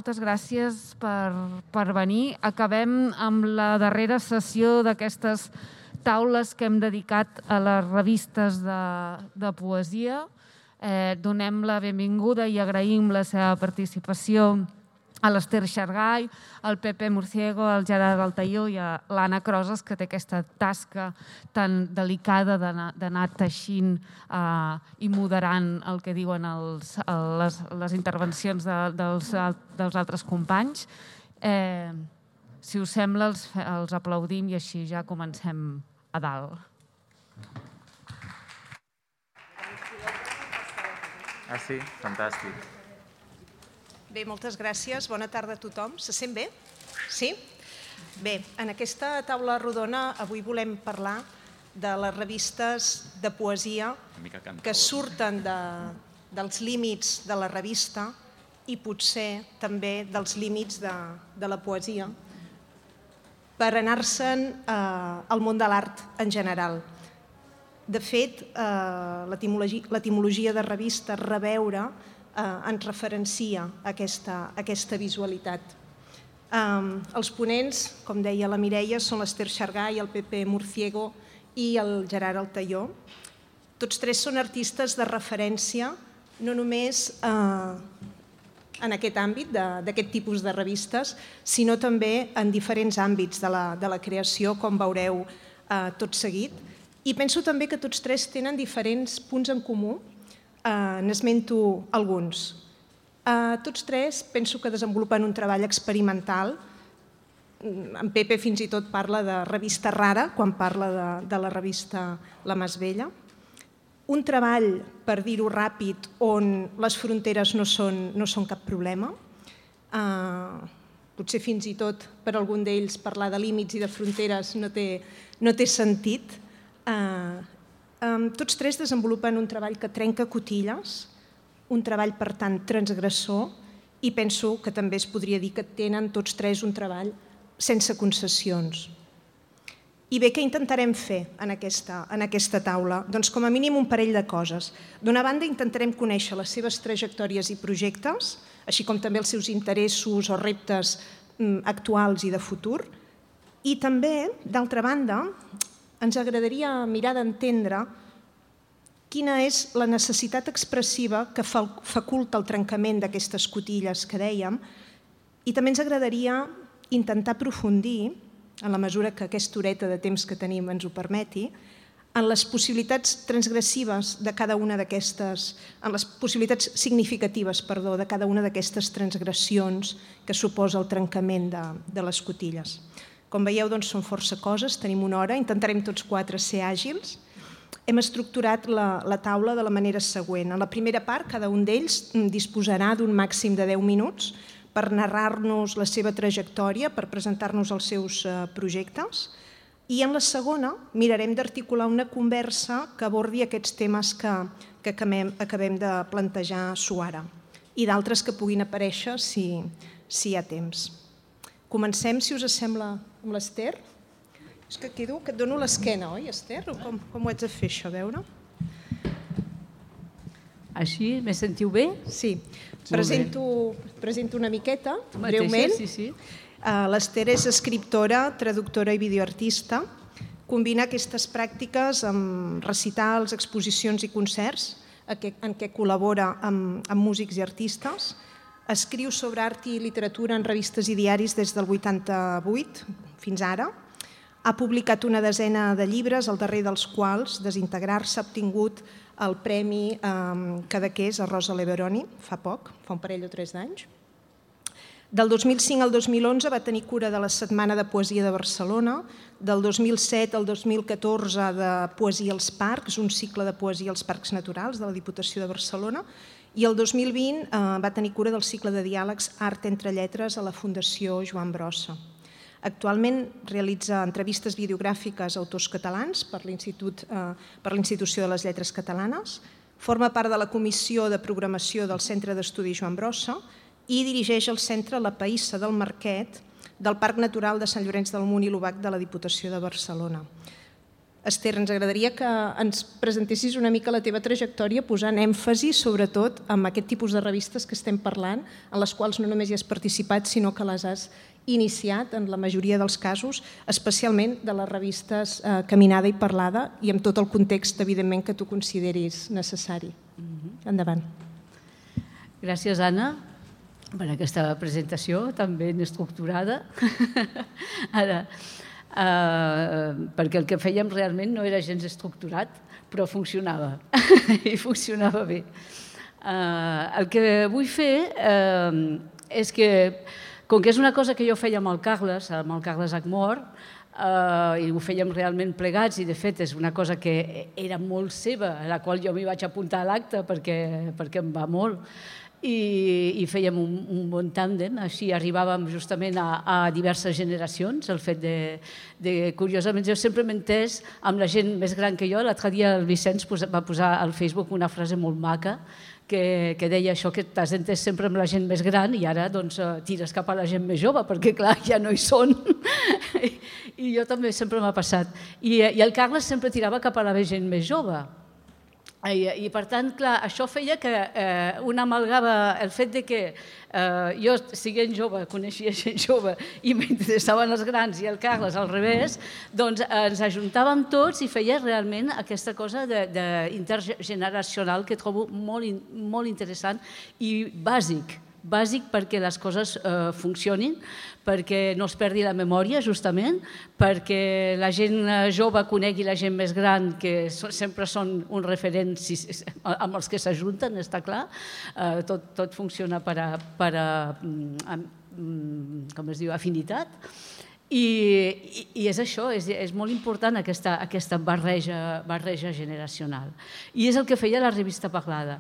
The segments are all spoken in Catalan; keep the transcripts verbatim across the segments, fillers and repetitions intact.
Moltes gràcies per, per venir. Acabem amb la darrera sessió d'aquestes taules que hem dedicat a les revistes de, de poesia. Eh, donem la benvinguda i agraïm la seva participació a l'Ester Xargay, al Pepe Murciego, al Gerard Altaió i a l'Anna Crosas, que té aquesta tasca tan delicada d'anar teixint eh, i moderant el que diuen els, les, les intervencions de, dels, dels altres companys. Eh, si us sembla, els, els aplaudim i així ja comencem a dalt. Ah, sí? Fantàstic. Bé, moltes gràcies. Bona tarda a tothom. Se sent bé? Sí? Bé, en aquesta taula rodona avui volem parlar de les revistes de poesia que surten de, dels límits de la revista i potser també dels límits de, de la poesia per anar-se'n eh, al món de l'art en general. De fet, eh, l'etimologia de revista, reveure, Eh, ens referencia aquesta, aquesta visualitat. Eh, els ponents, com deia la Mireia, són l'Ester Xargay, el Pepe Murciego i el Gerard Altaió. Tots tres són artistes de referència, no només eh, en aquest àmbit, d'aquest tipus de revistes, sinó també en diferents àmbits de la, de la creació, com veureu eh, tot seguit. I penso també que tots tres tenen diferents punts en comú. Uh, n'esmento alguns. Uh, tots tres penso que desenvolupen un treball experimental. En Pepe fins i tot parla de revista rara quan parla de, de la revista La Mas Vella. Un treball, per dir-ho ràpid, on les fronteres no són, no són cap problema. Uh, potser fins i tot per algun d'ells parlar de límits i de fronteres no té, no té sentit. Uh, Um, tots tres desenvolupen un treball que trenca cotilles, un treball, per tant, transgressor, i penso que també es podria dir que tenen tots tres un treball sense concessions. I bé, què intentarem fer en aquesta, en aquesta taula? Doncs com a mínim un parell de coses. D'una banda, intentarem conèixer les seves trajectòries i projectes, així com també els seus interessos o reptes mm, actuals i de futur. I també, d'altra banda, ens agradaria mirar d'entendre quina és la necessitat expressiva que faculta el trencament d'aquestes cotilles que dèiem, i també ens agradaria intentar aprofundir, en la mesura que aquesta horeta de temps que tenim ens ho permeti, en les possibilitats transgressives de cada una d'aquestes, en les possibilitats significatives, perdó, de cada una d'aquestes transgressions que suposa el trencament de, de les cotilles. Com veieu, doncs, són força coses, tenim una hora, intentarem tots quatre ser àgils. Hem estructurat la, la taula de la manera següent. En la primera part, cada un d'ells disposarà d'un màxim de deu minuts per narrar-nos la seva trajectòria, per presentar-nos els seus projectes. I en la segona mirarem d'articular una conversa que abordi aquests temes que, que acabem, acabem de plantejar suara i d'altres que puguin aparèixer si, si hi ha temps. Comencem, si us sembla, amb l'Ester. És que quedo, que et dono l'esquena, oi, Ester? Com, com ho haig de fer, això, a veure? Així, me sentiu bé? Sí. Presento, presento una miqueta, mateixa, breument. Sí, sí. L'Ester és escriptora, traductora i videoartista. Combina aquestes pràctiques amb recitals, exposicions i concerts en què col·labora amb, amb músics i artistes. Escriu sobre art i literatura en revistes i diaris des del vuitanta-vuit fins ara. Ha publicat una desena de llibres, el darrer dels quals, Desintegrar-se, ha obtingut el Premi eh, Cadaqués a Rosa Leveroni fa poc, fa un parell o tres d'anys. Del dos mil cinc al dos mil onze va tenir cura de la Setmana de Poesia de Barcelona, del dos mil set al dos mil catorze de Poesia als Parcs, un cicle de poesia als Parcs Naturals de la Diputació de Barcelona, i el dos mil vint eh, va tenir cura del cicle de diàlegs Art entre lletres a la Fundació Joan Brossa. Actualment realitza entrevistes videogràfiques a autors catalans per l'Institut, eh, per l'Institució de les Lletres Catalanes, forma part de la Comissió de Programació del Centre d'Estudis Joan Brossa i dirigeix el Centre La Païssa del Marquet del Parc Natural de Sant Llorenç del Munt i l'Obac de la Diputació de Barcelona. Esther, ens agradaria que ens presentessis una mica la teva trajectòria posant èmfasi, sobretot, en aquest tipus de revistes que estem parlant, en les quals no només hi has participat, sinó que les has iniciat en la majoria dels casos, especialment de les revistes eh, Caminada i Parlada, i amb tot el context, evidentment, que tu consideris necessari. Endavant. Gràcies, Anna, per aquesta presentació tan ben estructurada. Ara, Uh, perquè el que fèiem realment no era gens estructurat, però funcionava, i funcionava bé. Uh, el que vull fer uh, és que, com que és una cosa que jo feia amb el Carles, amb el Carles Acmor, uh, i ho fèiem realment plegats, i de fet és una cosa que era molt seva, a la qual jo m'hi vaig apuntar a l'acte perquè, perquè em va molt, I, i fèiem un, un bon tàndem, així arribàvem justament a, a diverses generacions. El fet de, de, curiosament, jo sempre m'he entès amb la gent més gran que jo. L'altre dia el Vicenç va posar al Facebook una frase molt maca que, que deia això, que t'has entès sempre amb la gent més gran i ara doncs, tires cap a la gent més jove, perquè clar, ja no hi són. I, i jo també sempre m'ha passat. I, I el Carles sempre tirava cap a la gent més jove. I, i per tant, clar, això feia que eh, un amalgava el fet de que eh, jo, siguent jove, coneixia gent jove i m'interessaven els grans i el Carles al revés, doncs eh, ens ajuntàvem tots i feia realment aquesta cosa de, de intergeneracional que trobo molt, in, molt interessant i bàsic, bàsic perquè les coses eh, funcionin, perquè no es perdi la memòria, justament, perquè la gent jove conegui la gent més gran, que sempre són un referent amb els que s'ajunten, està clar. Tot, tot funciona per a, per a, com es diu, afinitat. I, i, i és això, és, és molt important aquesta, aquesta barreja, barreja generacional. I és el que feia la revista Parlada.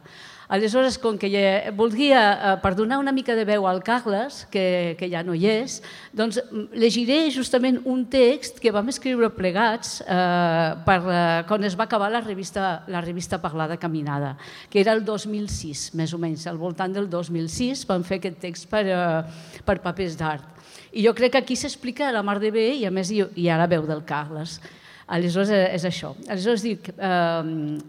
Aleshores, com que ja voldria, per donar una mica de veu al Carles, que, que ja no hi és, doncs llegiré justament un text que vam escriure plegats eh, per, eh, quan es va acabar la revista, la revista Parlada Caminada, que era el dos mil sis, més o menys, al voltant del dos mil sis vam fer aquest text per, eh, per papers d'art. I jo crec que aquí s'explica la mar de bé i a més hi, hi ha la veu del Carles. Aleshores és això. Aleshores dic... Eh,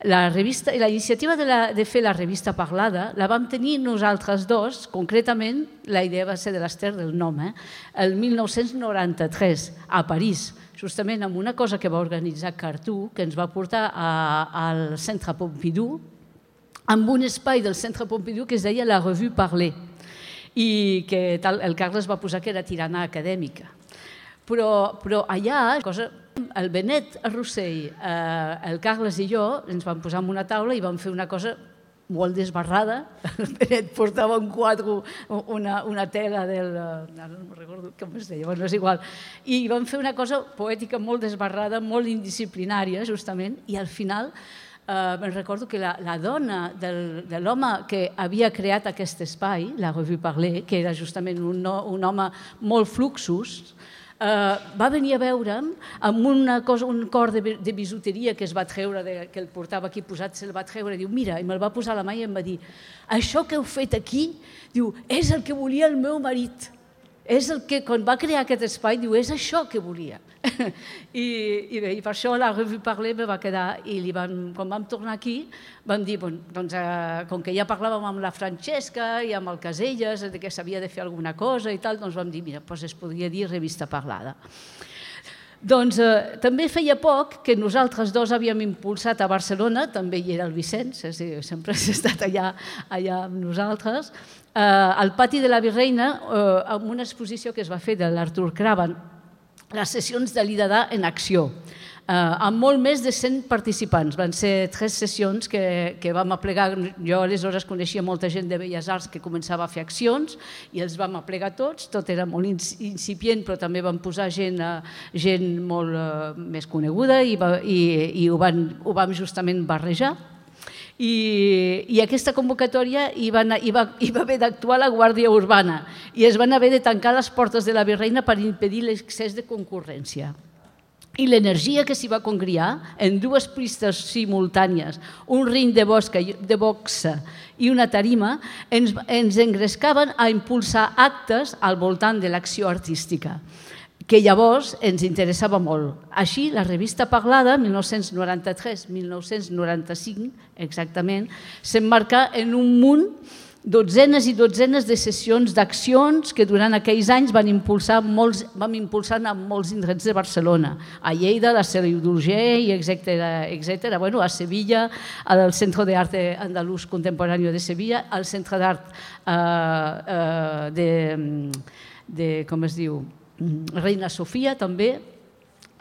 La, revista, la iniciativa de, la, de fer la revista Parlada la vam tenir nosaltres dos, concretament la idea va ser de l'Esther del nom, eh? el mil nou-cents noranta-tres a París, justament amb una cosa que va organitzar Cartú, que ens va portar a, al Centre Pompidou, amb un espai del Centre Pompidou que es deia la Revue Parlée, i que tal, el Carles va posar que era tirana acadèmica. Però, però allà, cosa, el Benet Rossell, eh, el Carles i jo ens vam posar en una taula i vam fer una cosa molt desbarrada. El Benet portava un quadre, una, una tela del... No, no recordo com es deia, bueno, és igual. I vam fer una cosa poètica molt desbarrada, molt indisciplinària, justament, i al final eh, me'n recordo que la, la dona del, de l'home que havia creat aquest espai, la Revue Parlée, que era justament un, un home molt fluxus, Uh, va venir a veure'm amb una cosa, un cor de, de bisuteria que es va treure, de, que el portava aquí posat, se'l va treure, i diu, mira, i me'l va posar a la mà i em va dir, això que heu fet aquí, diu, és el que volia el meu marit. És el que, quan va crear aquest espai, diu, és això que volia. I, i bé, i per això la Revue Parlée me va quedar, i li van, quan vam tornar aquí, vam dir, bon, doncs, eh, com que ja parlàvem amb la Francesca i amb el Caselles, de que s'havia de fer alguna cosa i tal, doncs vam dir, mira, doncs es podria dir Revista Parlada. Doncs eh, també feia poc que nosaltres dos havíem impulsat a Barcelona, també hi era el Vicenç, és a dir, sempre has estat allà, allà amb nosaltres, eh, al pati de la Virreina, eh, amb una exposició que es va fer de l'Artur Craven, les sessions de l'I D A en acció, eh, amb molt més de cent participants. Van ser tres sessions que, que vam aplegar. Jo aleshores coneixia molta gent de Belles Arts que començava a fer accions i els vam aplegar tots. Tot era molt incipient, però també vam posar gent, gent molt eh, més coneguda i, i, i ho, van, ho vam justament barrejar. I, i aquesta convocatòria hi va, hi va, hi va haver d'actuar la Guàrdia Urbana i es van haver de tancar les portes de la Virreina per impedir l'excés de concurrència. I l'energia que s'hi va congriar en dues pistes simultànies, un ring de, bosca, de boxa i una tarima, ens, ens engrescaven a impulsar actes al voltant de l'acció artística. que llavors ens interessava molt. Així, la revista Parlada, mil nou-cents noranta-tres mil nou-cents noranta-cinc, exactament, s'emmarca en un munt, dotzenes i dotzenes de sessions d'accions que durant aquells anys van impulsar molts, vam impulsar a molts indrets de Barcelona, a Lleida, a la Seu d'Urgell, etcètera. Bueno, a Sevilla, al Centre d'Arte Andalús Contemporáneo de Sevilla, al Centre d'Art eh, eh, de, de, com es diu, Reina Sofia també,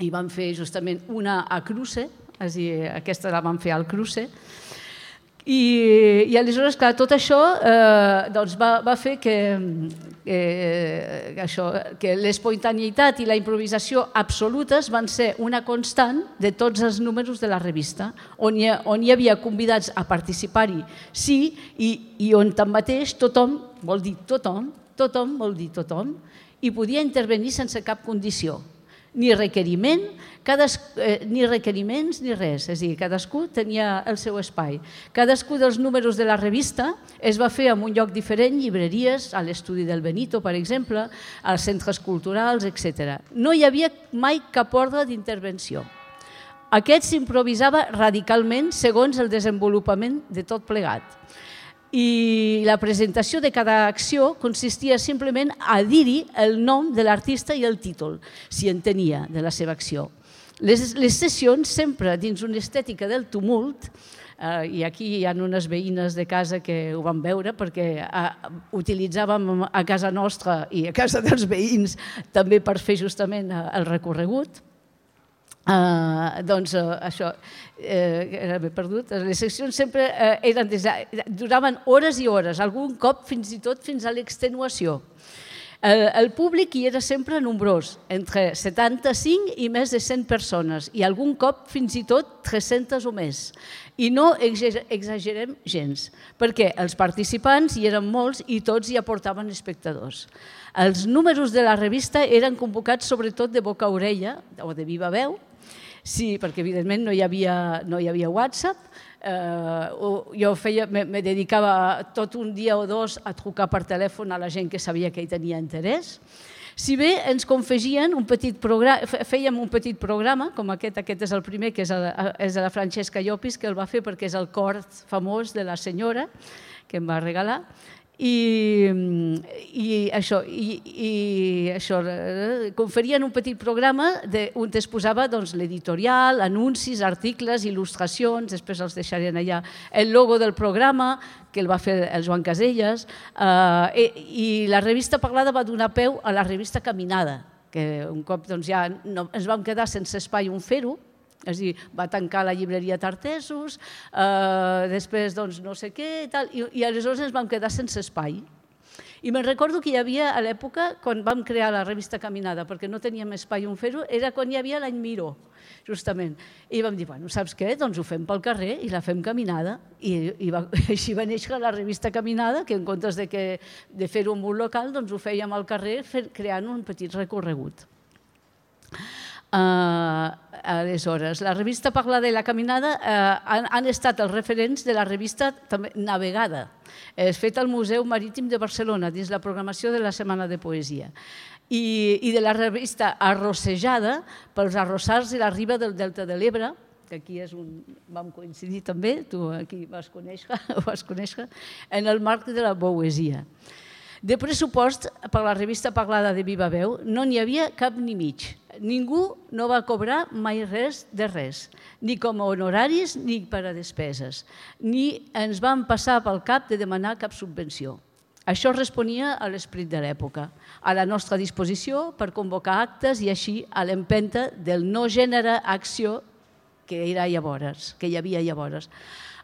i van fer justament una a Cruce, és a dir, aquesta la van fer al Cruce, i, i aleshores, clar, tot això eh, doncs va, va fer que, eh, això, que l'espontaneïtat i la improvisació absolutes van ser una constant de tots els números de la revista, on hi, on hi havia convidats a participar-hi, sí, i, i on tanmateix tothom, vol dir tothom, tothom vol dir tothom, i podia intervenir sense cap condició, ni requeriment, cades, eh, ni requeriments ni res, és a dir, cadascú tenia el seu espai. Cadascú dels números de la revista es va fer en un lloc diferent, llibreries, a l'estudi del Benito, per exemple, als centres culturals, etcètera. No hi havia mai cap ordre d'intervenció. Aquest s'improvisava radicalment segons el desenvolupament de tot plegat. I la presentació de cada acció consistia simplement a dir-hi el nom de l'artista i el títol, si en tenia, de la seva acció. Les, les sessions, sempre dins una estètica del tumult, eh, i aquí hi ha unes veïnes de casa que ho van veure perquè eh, utilitzàvem a casa nostra i a casa dels veïns també per fer justament el recorregut. Uh, doncs uh, això, uh, m'he perdut, les seccions sempre uh, eren des de, duraven hores i hores, algun cop fins i tot fins a l'extenuació. Uh, el públic hi era sempre nombrós, entre setanta-cinc i més de cent persones, i algun cop fins i tot tres-centes o més. I no exagerem gens, perquè els participants hi eren molts i tots hi aportaven espectadors. Els números de la revista eren convocats sobretot de boca a orella o de viva veu, sí, perquè evidentment no hi havia, no hi havia WhatsApp, eh, jo feia, me, me dedicava tot un dia o dos a trucar per telèfon a la gent que sabia que hi tenia interès. Si bé ens confegien un petit programa, fèiem un petit programa, com aquest, aquest és el primer, que és, el, és de la Francesca Llopis, que el va fer perquè és el cor famós de la senyora, que em va regalar, i, i això, i, i això conferien un petit programa de, on es posava doncs, l'editorial, anuncis, articles, il·lustracions, després els deixarien allà el logo del programa, que el va fer el Joan Caselles, eh, i, i la revista Parlada va donar peu a la revista Caminada, que un cop doncs, ja no, ens vam quedar sense espai on fer-ho, és a dir, va tancar la llibreria Tartesos, eh, després doncs, no sé què, i, tal, i, i aleshores ens vam quedar sense espai. I me'n recordo que hi havia a l'època, quan vam crear la revista Caminada, perquè no teníem espai on fer-ho, era quan hi havia l'any Miró, justament. I vam dir, bueno, saps què? Doncs ho fem pel carrer i la fem Caminada. I, i va, així va néixer la revista Caminada, que en comptes de, que, de fer-ho en un local, doncs ho fèiem al carrer fer, creant un petit recorregut. Uh, aleshores, la revista Parlada i la Caminada uh, han, han estat els referents de la revista també Navegada, és feta al Museu Marítim de Barcelona dins la programació de la Setmana de Poesia, i, i de la revista Arrossejada pels arrossars i la riba del Delta de l'Ebre, que aquí és un, vam coincidir també, tu aquí vas conèixer, ho vas conèixer, en el marc de la poesia. De pressupost per la revista Parlada de Viva Veu no n'hi havia cap ni mig. Ningú no va cobrar mai res de res, ni com a honoraris ni per a despeses, ni ens van passar pel cap de demanar cap subvenció. Això responia a l'esperit de l'època, a la nostra disposició per convocar actes i així a l'empenta del no gènere acció que era llavors, que hi havia llavors.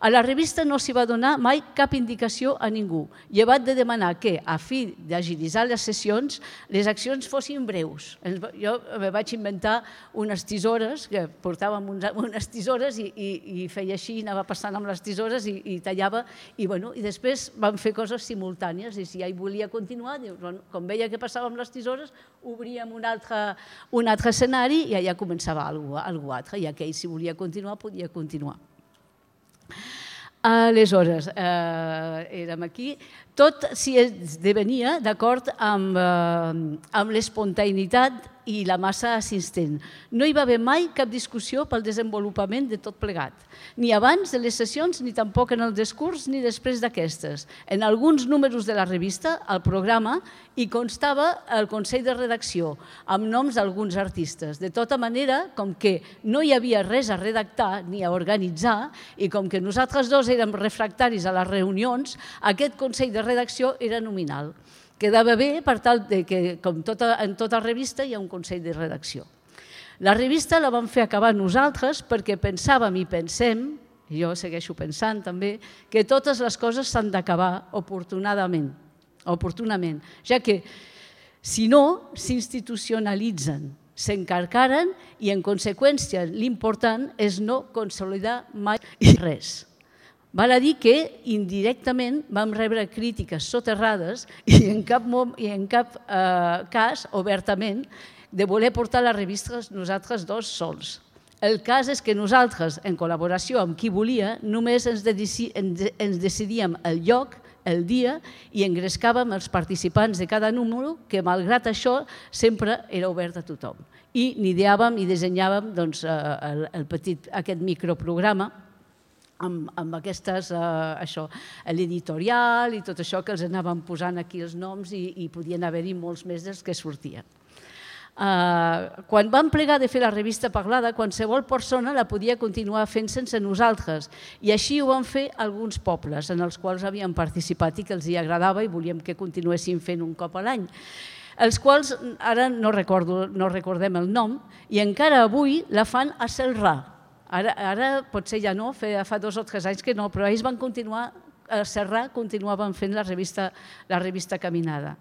A la revista no s'hi va donar mai cap indicació a ningú, llevat de demanar que, a fi d'agilitzar les sessions, les accions fossin breus. Jo me vaig inventar unes tisores, que portàvem unes tisores i, i, i feia així, anava passant amb les tisores i, i tallava, i, bueno, i després vam fer coses simultànies, i si ja hi volia continuar, bueno, com veia que passava amb les tisores, obríem un altre, un altre escenari i allà començava alguna cosa altra, i aquell, si volia continuar, podia continuar. Aleshores, eh, érem aquí, tot s'hi esdevenia d'acord amb, eh, amb l'espontaneïtat i la massa assistent. No hi va haver mai cap discussió pel desenvolupament de tot plegat, ni abans de les sessions, ni tampoc en el discurs, ni després d'aquestes. En alguns números de la revista, al programa, hi constava el Consell de Redacció, amb noms d'alguns artistes. De tota manera, com que no hi havia res a redactar ni a organitzar, i com que nosaltres dos érem refractaris a les reunions, aquest Consell de Redacció era nominal. Quedava bé per tal que, com en tota revista, hi ha un Consell de Redacció. La revista la vam fer acabar nosaltres perquè pensàvem i pensem, i jo segueixo pensant també, que totes les coses s'han d'acabar oportunadament, oportunament, ja que, si no, s'institucionalitzen, s'encarcaren i, en conseqüència, l'important és no consolidar mai res. Val a dir que indirectament vam rebre crítiques soterrades i en cap, i en cap eh, cas, obertament, de voler portar la revista nosaltres dos sols. El cas és que nosaltres, en col·laboració amb qui volia, només ens, ens decidíem el lloc, el dia, i engrescàvem els participants de cada número, que malgrat això sempre era obert a tothom. I n'ideàvem i dissenyàvem doncs, el, el petit, aquest microprograma amb, amb aquestes, eh, això, l'editorial i tot això que els anàvem posant aquí els noms i, i podien haver-hi molts més dels que sortien. Uh, quan vam plegar de fer la revista Parlada, qualsevol persona la podia continuar fent sense nosaltres, i així ho van fer alguns pobles en els quals havíem participat i que els hi agradava i volíem que continuessin fent un cop a l'any, els quals ara no, recordo, no recordem el nom, i encara avui la fan a Celrà. Ara, ara potser ja no, fa dos o tres anys que no, però ells van continuar, a Celrà continuaven fent la revista, la revista Caminada.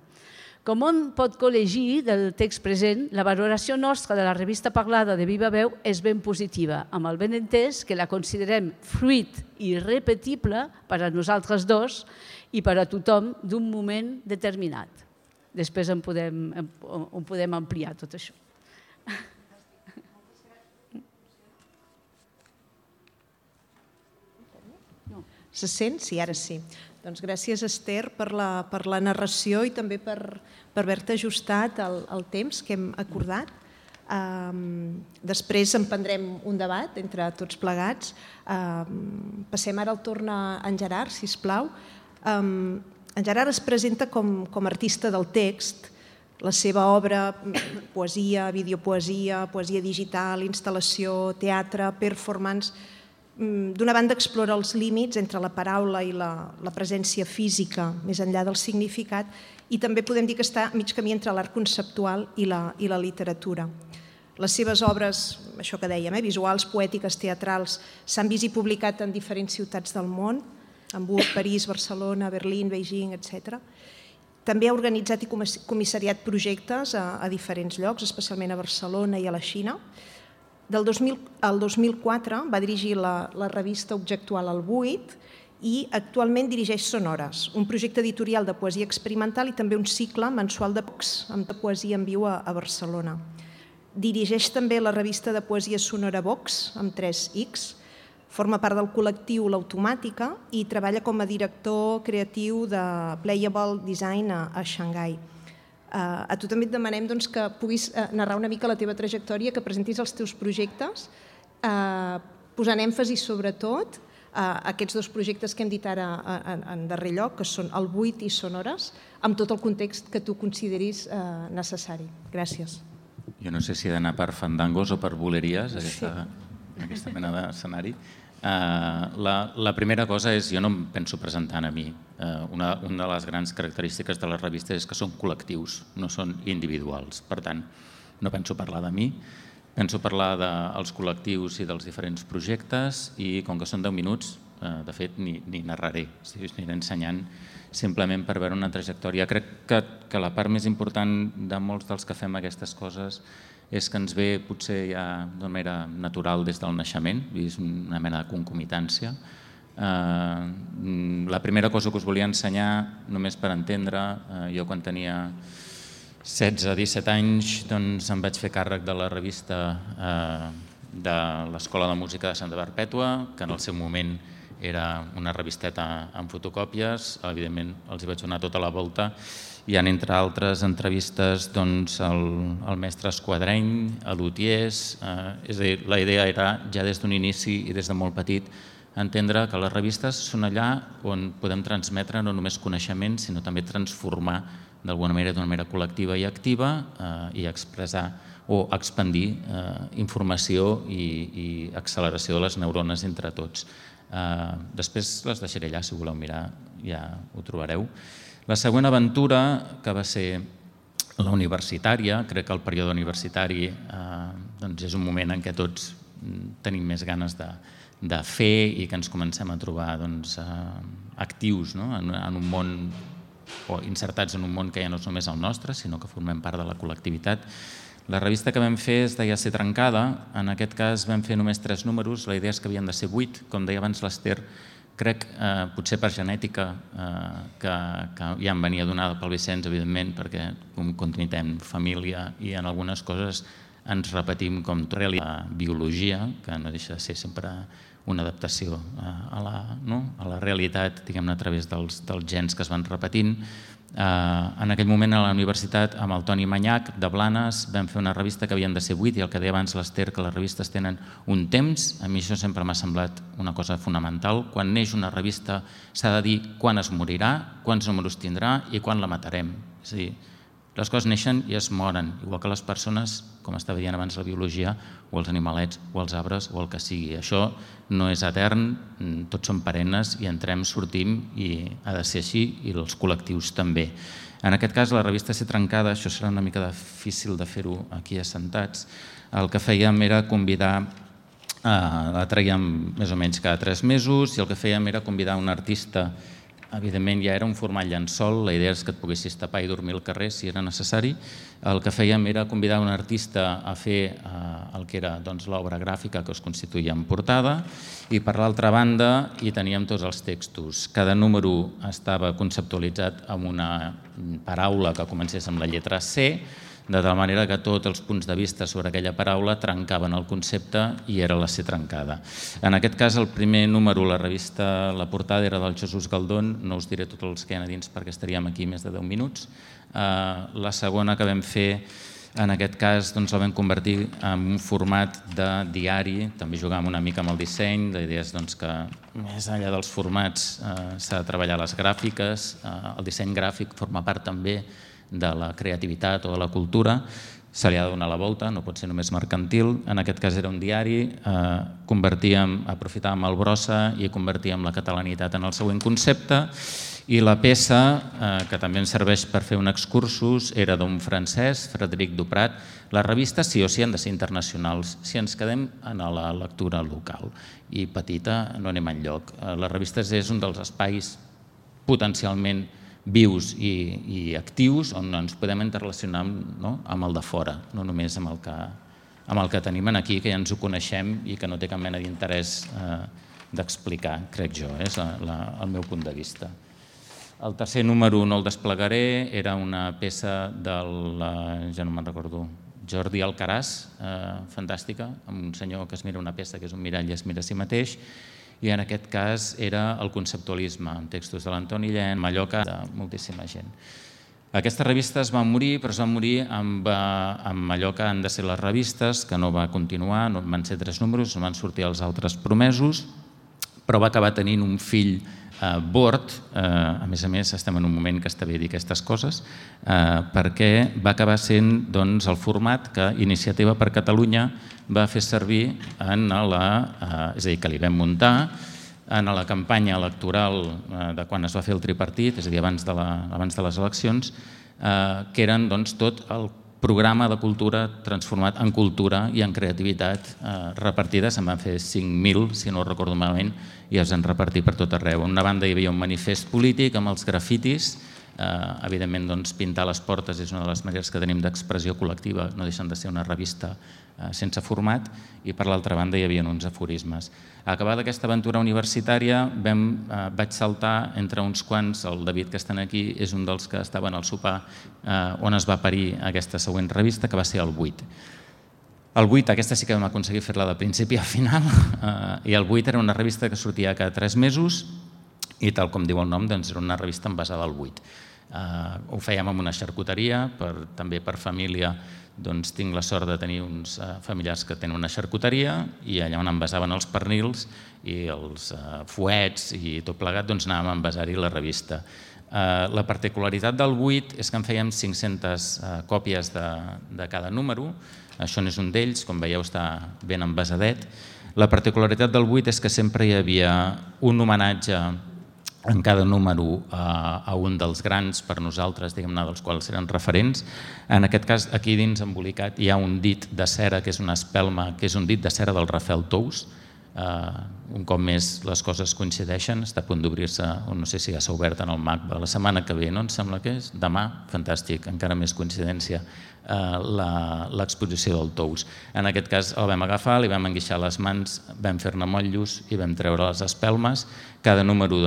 Com on pot col·legir del text present, la valoració nostra de la revista Parlada de Viva Veu és ben positiva, amb el benentès que la considerem fruit irrepetible per a nosaltres dos i per a tothom d'un moment determinat. Després en podem, en podem ampliar tot això. Se sent? Sí, ara sí. Doncs gràcies, Esther, per la, per la narració i també per, per haver-te ajustat el, el temps que hem acordat. Um, després emprendrem un debat entre tots plegats. Um, passem ara el torn a en Gerard, sisplau. Um, en Gerard es presenta com, com artista del text. La seva obra, poesia, videopoesia, poesia digital, instal·lació, teatre, performance, d'una banda explora els límits entre la paraula i la, la presència física, més enllà del significat, i també podem dir que està mig camí entre l'art conceptual i la, i la literatura. Les seves obres, això que dèiem, eh, visuals, poètiques, teatrals, s'han vist i publicat en diferents ciutats del món, Hamburg, París, Barcelona, Berlín, Beijing, etcètera. També ha organitzat i comissariat projectes a, a diferents llocs, especialment a Barcelona i a la Xina. Del dos mil, el dos mil quatre va dirigir la, la revista Objectual al Buit i actualment dirigeix Sonores, un projecte editorial de poesia experimental i també un cicle mensual de Vox, amb poesia en viu a, a Barcelona. Dirigeix també la revista de poesia sonora Vox, amb tres X, forma part del col·lectiu L'Automàtica i treballa com a director creatiu de Playable Design a, a Xangai. Uh, a tu també et demanem doncs, que puguis uh, narrar una mica la teva trajectòria, que presentis els teus projectes, uh, posant èmfasi sobretot a uh, aquests dos projectes que hem dit ara en, en darrer lloc, que són el Buit i Sonores, amb tot el context que tu consideris uh, necessari. Gràcies. Jo no sé si he d'anar per fandangos o per boleries, aquesta, sí. aquesta mena d'escenari. Uh, la, la primera cosa és, jo no em penso presentant a mi. Uh, una, una de les grans característiques de les revistes és que són col·lectius, no són individuals. Per tant, no penso parlar de mi, penso parlar dels col·lectius i dels diferents projectes i com que són deu minuts, uh, de fet, ni, ni narraré, si us aniré ensenyant simplement per veure una trajectòria. Crec que, que la part més important de molts dels que fem aquestes coses és que ens ve potser ja d'una manera natural des del naixement, és una mena de concomitància. La primera cosa que us volia ensenyar, només per entendre, jo quan tenia setze o disset anys doncs em vaig fer càrrec de la revista de l'Escola de Música de Santa Perpètua, que en el seu moment era una revisteta amb fotocòpies, evidentment els hi vaig donar tota la volta. Hi ha, entre altres entrevistes, doncs, el mestre Esquadreny, a lutiers, és a dir, la idea era ja des d'un inici i des de molt petit entendre que les revistes són allà on podem transmetre no només coneixement, sinó també transformar d'alguna manera, d'una manera col·lectiva i activa i expressar o expandir informació i acceleració de les neurones entre tots. Després les deixaré allà, si voleu mirar ja ho trobareu. La següent aventura, que va ser la universitària, crec que el període universitari és un moment en què tots tenim més ganes de fer i que ens comencem a trobar actius en un món o insertats en un món que ja no és només el nostre, sinó que formem part de la col·lectivitat. La revista que vam fer es deia Ser trencada. En aquest cas vam fer només tres números, la idea és que havien de ser vuit. Com deia abans l'Ester, crec, potser per genètica, que ja em venia donada pel Vicenç, evidentment, perquè continuem família i en algunes coses ens repetim com la biologia, que no deixa de ser sempre una adaptació a la realitat, diguem-ne, a través dels gens que es van repetint. En aquell moment a la universitat, amb el Toni Manyac de Blanes, vam fer una revista que havien de ser vuit i el que deia abans l'Ester, que les revistes tenen un temps. A mi això sempre m'ha semblat una cosa fonamental. Quan neix una revista s'ha de dir quan es morirà, quants números tindrà i quan la matarem. És a dir, les coses neixen i es moren, igual que les persones, com estava dient abans la biologia, o els animalets, o els arbres, o el que sigui. Això no és etern, tots són perennes i entrem, sortim i ha de ser així i els col·lectius també. En aquest cas, la revista Ser trencada, això serà una mica difícil de fer-ho aquí assentats, el que fèiem era convidar, la traiem més o menys cada tres mesos i el que fèiem era convidar un artista. Evidentment ja era un format llençol, la idea és que et poguessis tapar i dormir al carrer si era necessari. El que fèiem era convidar un artista a fer el que era l'obra gràfica que es constituïa en portada i per l'altra banda hi teníem tots els textos. Cada número estava conceptualitzat amb una paraula que comencés amb la lletra C, de tal manera que tots els punts de vista sobre aquella paraula trencaven el concepte i era la Ser trencada. En aquest cas, el primer número, la revista, la portada era del Jesús Galdón, no us diré tots els que hi ha a dins perquè estaríem aquí més de deu minuts. La segona que vam fer, en aquest cas, la vam convertir en un format de diari, també jugàvem una mica amb el disseny, la idea és que més enllà dels formats s'ha de treballar les gràfiques, el disseny gràfic forma part també de la creativitat o de la cultura, se li ha de donar la volta, no pot ser només mercantil. En aquest cas era un diari, convertíem, aprofitàvem el brossa i convertíem la catalanitat en el següent concepte i la peça, que també ens serveix per fer un excursus, era d'un francès, Frederic Duprat. Les revistes sí o sí han de ser internacionals, si ens quedem en la lectura local i petita no anem enlloc. Les revistes és un dels espais potencialment vius i actius on ens podem interrelacionar amb el de fora, no només amb el que tenim aquí, que ja ens ho coneixem i que no té cap mena d'interès d'explicar, crec jo, és el meu punt de vista. El tercer número no el desplegaré, era una peça del, ja no me'n recordo, Jordi Alcaràs, fantàstica, amb un senyor que es mira una peça que és un mirall i es mira a si mateix, i en aquest cas era el conceptualisme, amb textos de l'Antoni Llent, Mallorca, de moltíssima gent. Aquesta revista es va morir, però es va morir amb allò que han de ser les revistes, que no va continuar, van ser tres números, no van sortir els altres promesos, però va acabar tenint un fill Bord, a més a més estem en un moment que està bé dir aquestes coses, perquè va acabar sent el format que Iniciativa per Catalunya va fer servir en la, és a dir, que li vam muntar en la campanya electoral de quan es va fer el tripartit, és a dir, abans de les eleccions, que eren tot el programa de cultura transformat en cultura i en creativitat repartides. Se'n van fer cinc mil, si no ho recordo malament, i es van repartir per tot arreu. En una banda hi havia un manifest polític amb els grafitis, evidentment pintar les portes és una de les maneres que tenim d'expressió col·lectiva, no deixen de ser una revista sense format, i per l'altra banda hi havia uns aforismes. Acabada aquesta aventura universitària vaig saltar entre uns quants, el David que estan aquí és un dels que estaven al sopar on es va parir aquesta següent revista, que va ser el vuit. El vuit, aquesta sí que vam aconseguir fer-la de principi a final, i el vuit era una revista que sortia cada tres mesos i, tal com diu el nom, era una revista envasada al vuit. Ho fèiem amb una xarcuteria, també per família. Tinc la sort de tenir uns familiars que tenen una xarcuteria i allà on envasaven els pernils i els fuets i tot plegat anàvem a envasar-hi la revista. La particularitat del vuit és que en fèiem cinc-centes còpies de cada número. Això n'és un d'ells, com veieu està ben envasadet. La particularitat del vuit és que sempre hi havia un homenatge en cada número a un dels grans per nosaltres, diguem-ne, dels quals eren referents. En aquest cas, aquí dins embolicat hi ha un dit de cera, que és una espelma, que és un dit de cera del Rafael Tous. Un cop més les coses coincideixen, està a punt d'obrir-se, no sé si ja s'ha obert en el M A C B, la setmana que ve, no? Em sembla que és demà, fantàstic, encara més coincidència, l'exposició del Tous. En aquest cas el vam agafar, li vam enguixar les mans, vam fer-ne motllos i vam treure les espelmes. Cada número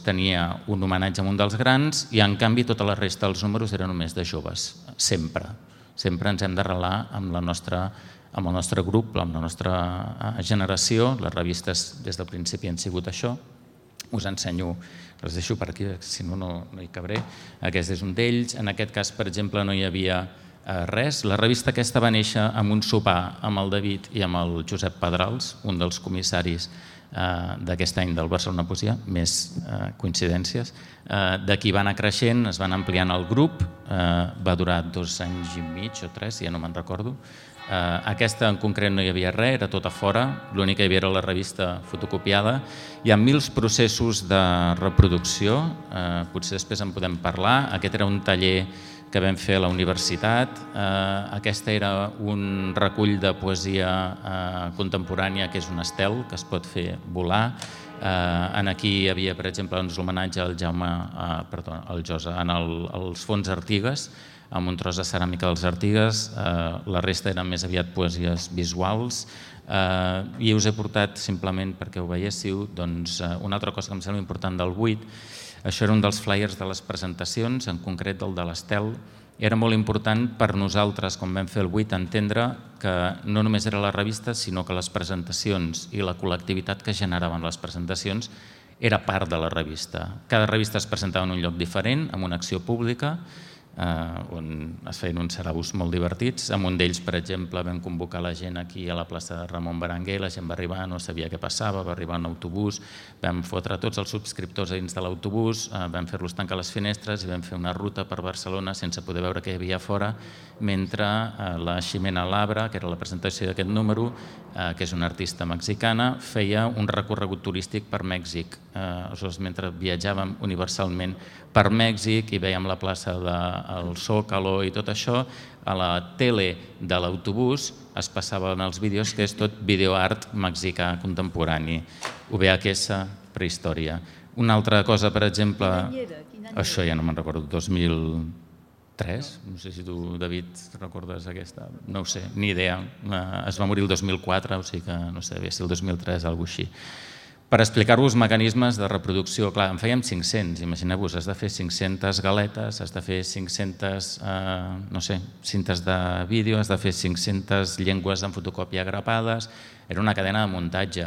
tenia un homenatge a un dels grans i en canvi tota la resta dels números eren només de joves, sempre. Sempre ens hem d'arrelar amb la nostra amb el nostre grup, amb la nostra generació. Les revistes des del principi han sigut això. Us ensenyo, les deixo per aquí, si no, no hi cabré. Aquest és un d'ells. En aquest cas, per exemple, no hi havia res. La revista aquesta va néixer amb un sopar amb el David i amb el Josep Pedrals, un dels comissaris d'aquest any del Barcelona Poesia, més coincidències. D'aquí va anar creixent, es van ampliant el grup, va durar dos anys i mig o tres, ja no me'n recordo. Aquesta en concret no hi havia res, era tot a fora, l'únic que hi havia era la revista fotocopiada. Hi ha mils processos de reproducció, potser després en podem parlar. Aquest era un taller que vam fer a la universitat. Aquesta era un recull de poesia contemporània que és un estel que es pot fer volar. Aquí hi havia, per exemple, l'homenatge al Jaume, perdó, al Josa, en els fons Artigues, amb un tros de ceràmica dels Artigues. La resta eren més aviat poesies visuals i us he portat, simplement perquè ho veiéssiu, una altra cosa que em sembla important del vuit. Això era un dels flyers de les presentacions, en concret del de l'Estel. Era molt important per nosaltres, quan vam fer el vuit, entendre que no només era la revista, sinó que les presentacions i la col·lectivitat que generaven les presentacions era part de la revista. Cada revista es presentava en un lloc diferent, amb una acció pública, on es feien uns saraus molt divertits. En un d'ells, per exemple, vam convocar la gent aquí a la plaça de Ramon Berenguer, la gent va arribar, no sabia què passava, va arribar un autobús, vam fotre tots els subscriptors a dins de l'autobús, vam fer-los tancar les finestres i vam fer una ruta per Barcelona sense poder veure què hi havia fora, mentre la Ximena Labra, que era la presentació d'aquest número, que és una artista mexicana, feia un recorregut turístic per Mèxic. Mentre viatjàvem universalment per Mèxic i veiem la plaça del Zócalo i tot això, a la tele de l'autobús es passaven els vídeos, que és tot videoart mexicà contemporani, U V H S, prehistòria. Una altra cosa, per exemple, això ja no me'n recordo, dos mil tres, no sé si tu, David, recordes aquesta, no ho sé, ni idea. Es va morir el dos mil quatre, o sigui que no sé, devia ser el dos mil tres, alguna cosa així. Per explicar-vos mecanismes de reproducció, clar, en fèiem cinc-cents, imagineu-vos, has de fer cinc-centes galetes, has de fer cinc-centes, no sé, cintes de vídeo, has de fer cinc-centes llengües en fotocòpia grapades, era una cadena de muntatge,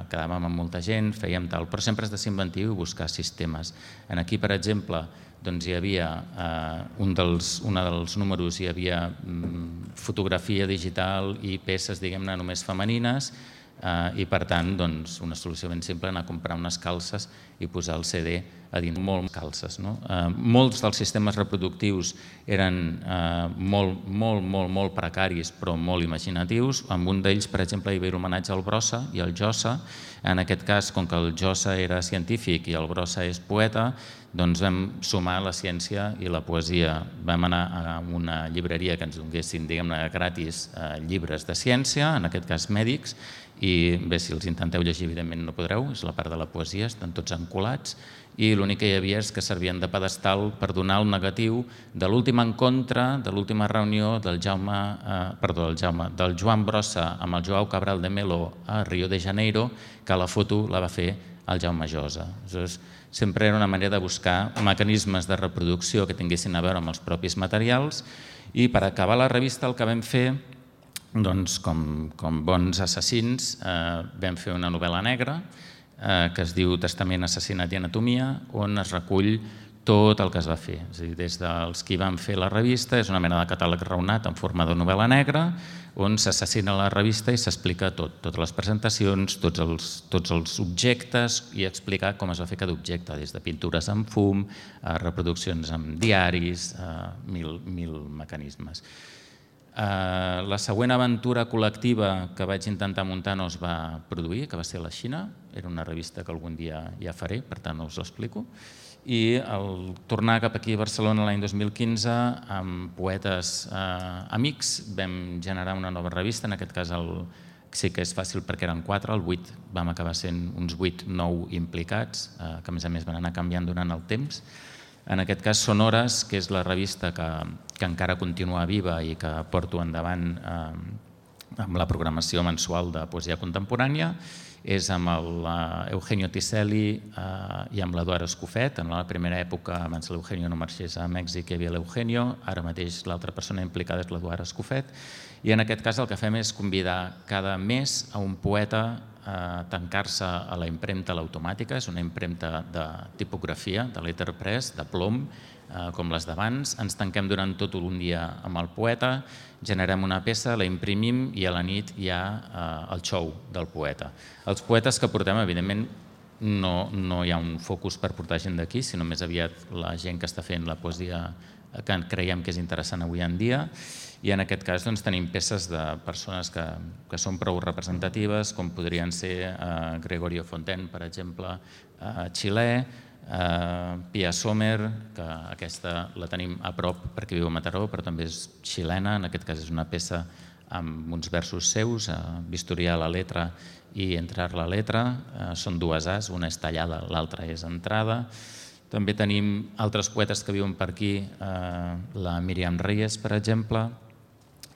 quedàvem amb molta gent, fèiem tal, però sempre has de ser inventiu i buscar sistemes. Aquí, per exemple, hi havia un dels números, hi havia fotografia digital i peces, diguem-ne, només femenines, i per tant una solució ben simple, anar a comprar unes calces i posar el C D a dins, molt calces. Molts dels sistemes reproductius eren molt, molt, molt, molt precaris però molt imaginatius. En un d'ells, per exemple, hi havia homenatge al Brossa i al Jossa. En aquest cas, com que el Jossa era científic i el Brossa és poeta, doncs vam sumar la ciència i la poesia. Vam anar a una llibreria que ens donessin, diguem-ne, gratis llibres de ciència, en aquest cas mèdics, i bé, si els intenteu llegir, evidentment no podreu, és la part de la poesia, estan tots encolats, i l'únic que hi havia és que servien de pedestal per donar el negatiu de l'últim encontre, de l'última reunió del Jaume, perdó, del Jaume, del Joan Brossa amb el Joao Cabral de Melo a Rio de Janeiro, que la foto la va fer el Jaume Josa. Sempre era una manera de buscar mecanismes de reproducció que tinguessin a veure amb els propis materials, i per acabar la revista el que vam fer doncs, com, com bons assassins, eh, vam fer una novel·la negra eh, que es diu Testament, assassinat i anatomia, on es recull tot el que es va fer. És a dir, des dels qui van fer la revista, és una mena de catàleg raonat en forma de novel·la negra, on s'assassina la revista i s'explica tot, totes les presentacions, tots els, tots els objectes i explicar com es va fer cada objecte, des de pintures amb fum, a reproduccions amb diaris, a mil, mil mecanismes. Uh, la següent aventura col·lectiva que vaig intentar muntar no es va produir, que va ser a la Xina. Era una revista que algun dia ja faré, per tant no us l'explico. I al tornar cap aquí a Barcelona l'any dos mil quinze, amb poetes eh, amics, vam generar una nova revista, en aquest cas el, sí que és fàcil perquè eren quatre, el vuit vam acabar sent uns vuit, nou implicats, eh, que a més a més van anar canviant durant el temps. En aquest cas Sonores, que és la revista que, que encara continua viva i que porto endavant eh, amb la programació mensual de poesia contemporània, és amb l'Eugenio Tiselli eh, i amb l'Eduard Escofet. En la primera època, abans l'Eugenio no marxés a Mèxic, hi havia l'Eugenio, ara mateix l'altra persona implicada és l'Eduard Escofet. I en aquest cas el que fem és convidar cada mes a un poeta a tancar-se a la impremta l'automàtica, és una impremta de tipografia, de letterpress, de plom, eh, com les d'abans. Ens tanquem durant tot un dia amb el poeta, generem una peça, la imprimim i a la nit hi ha eh, el show del poeta. Els poetes que portem, evidentment, no, no hi ha un focus per portar gent d'aquí, sinó més aviat la gent que està fent la poesia que creiem que és interessant avui en dia. I en aquest cas doncs, tenim peces de persones que, que són prou representatives, com podrien ser eh, Gregorio Fontaine, per exemple, eh, xilè, eh, Pia Sommer, que aquesta la tenim a prop perquè viu a Mataró, però també és xilena, en aquest cas és una peça amb uns versos seus, eh, Vistoriar la letra i Entrar la letra, eh, són dues As, una és tallada, l'altra és entrada. També tenim altres poetes que viuen per aquí, eh, la Míriam Reyes, per exemple.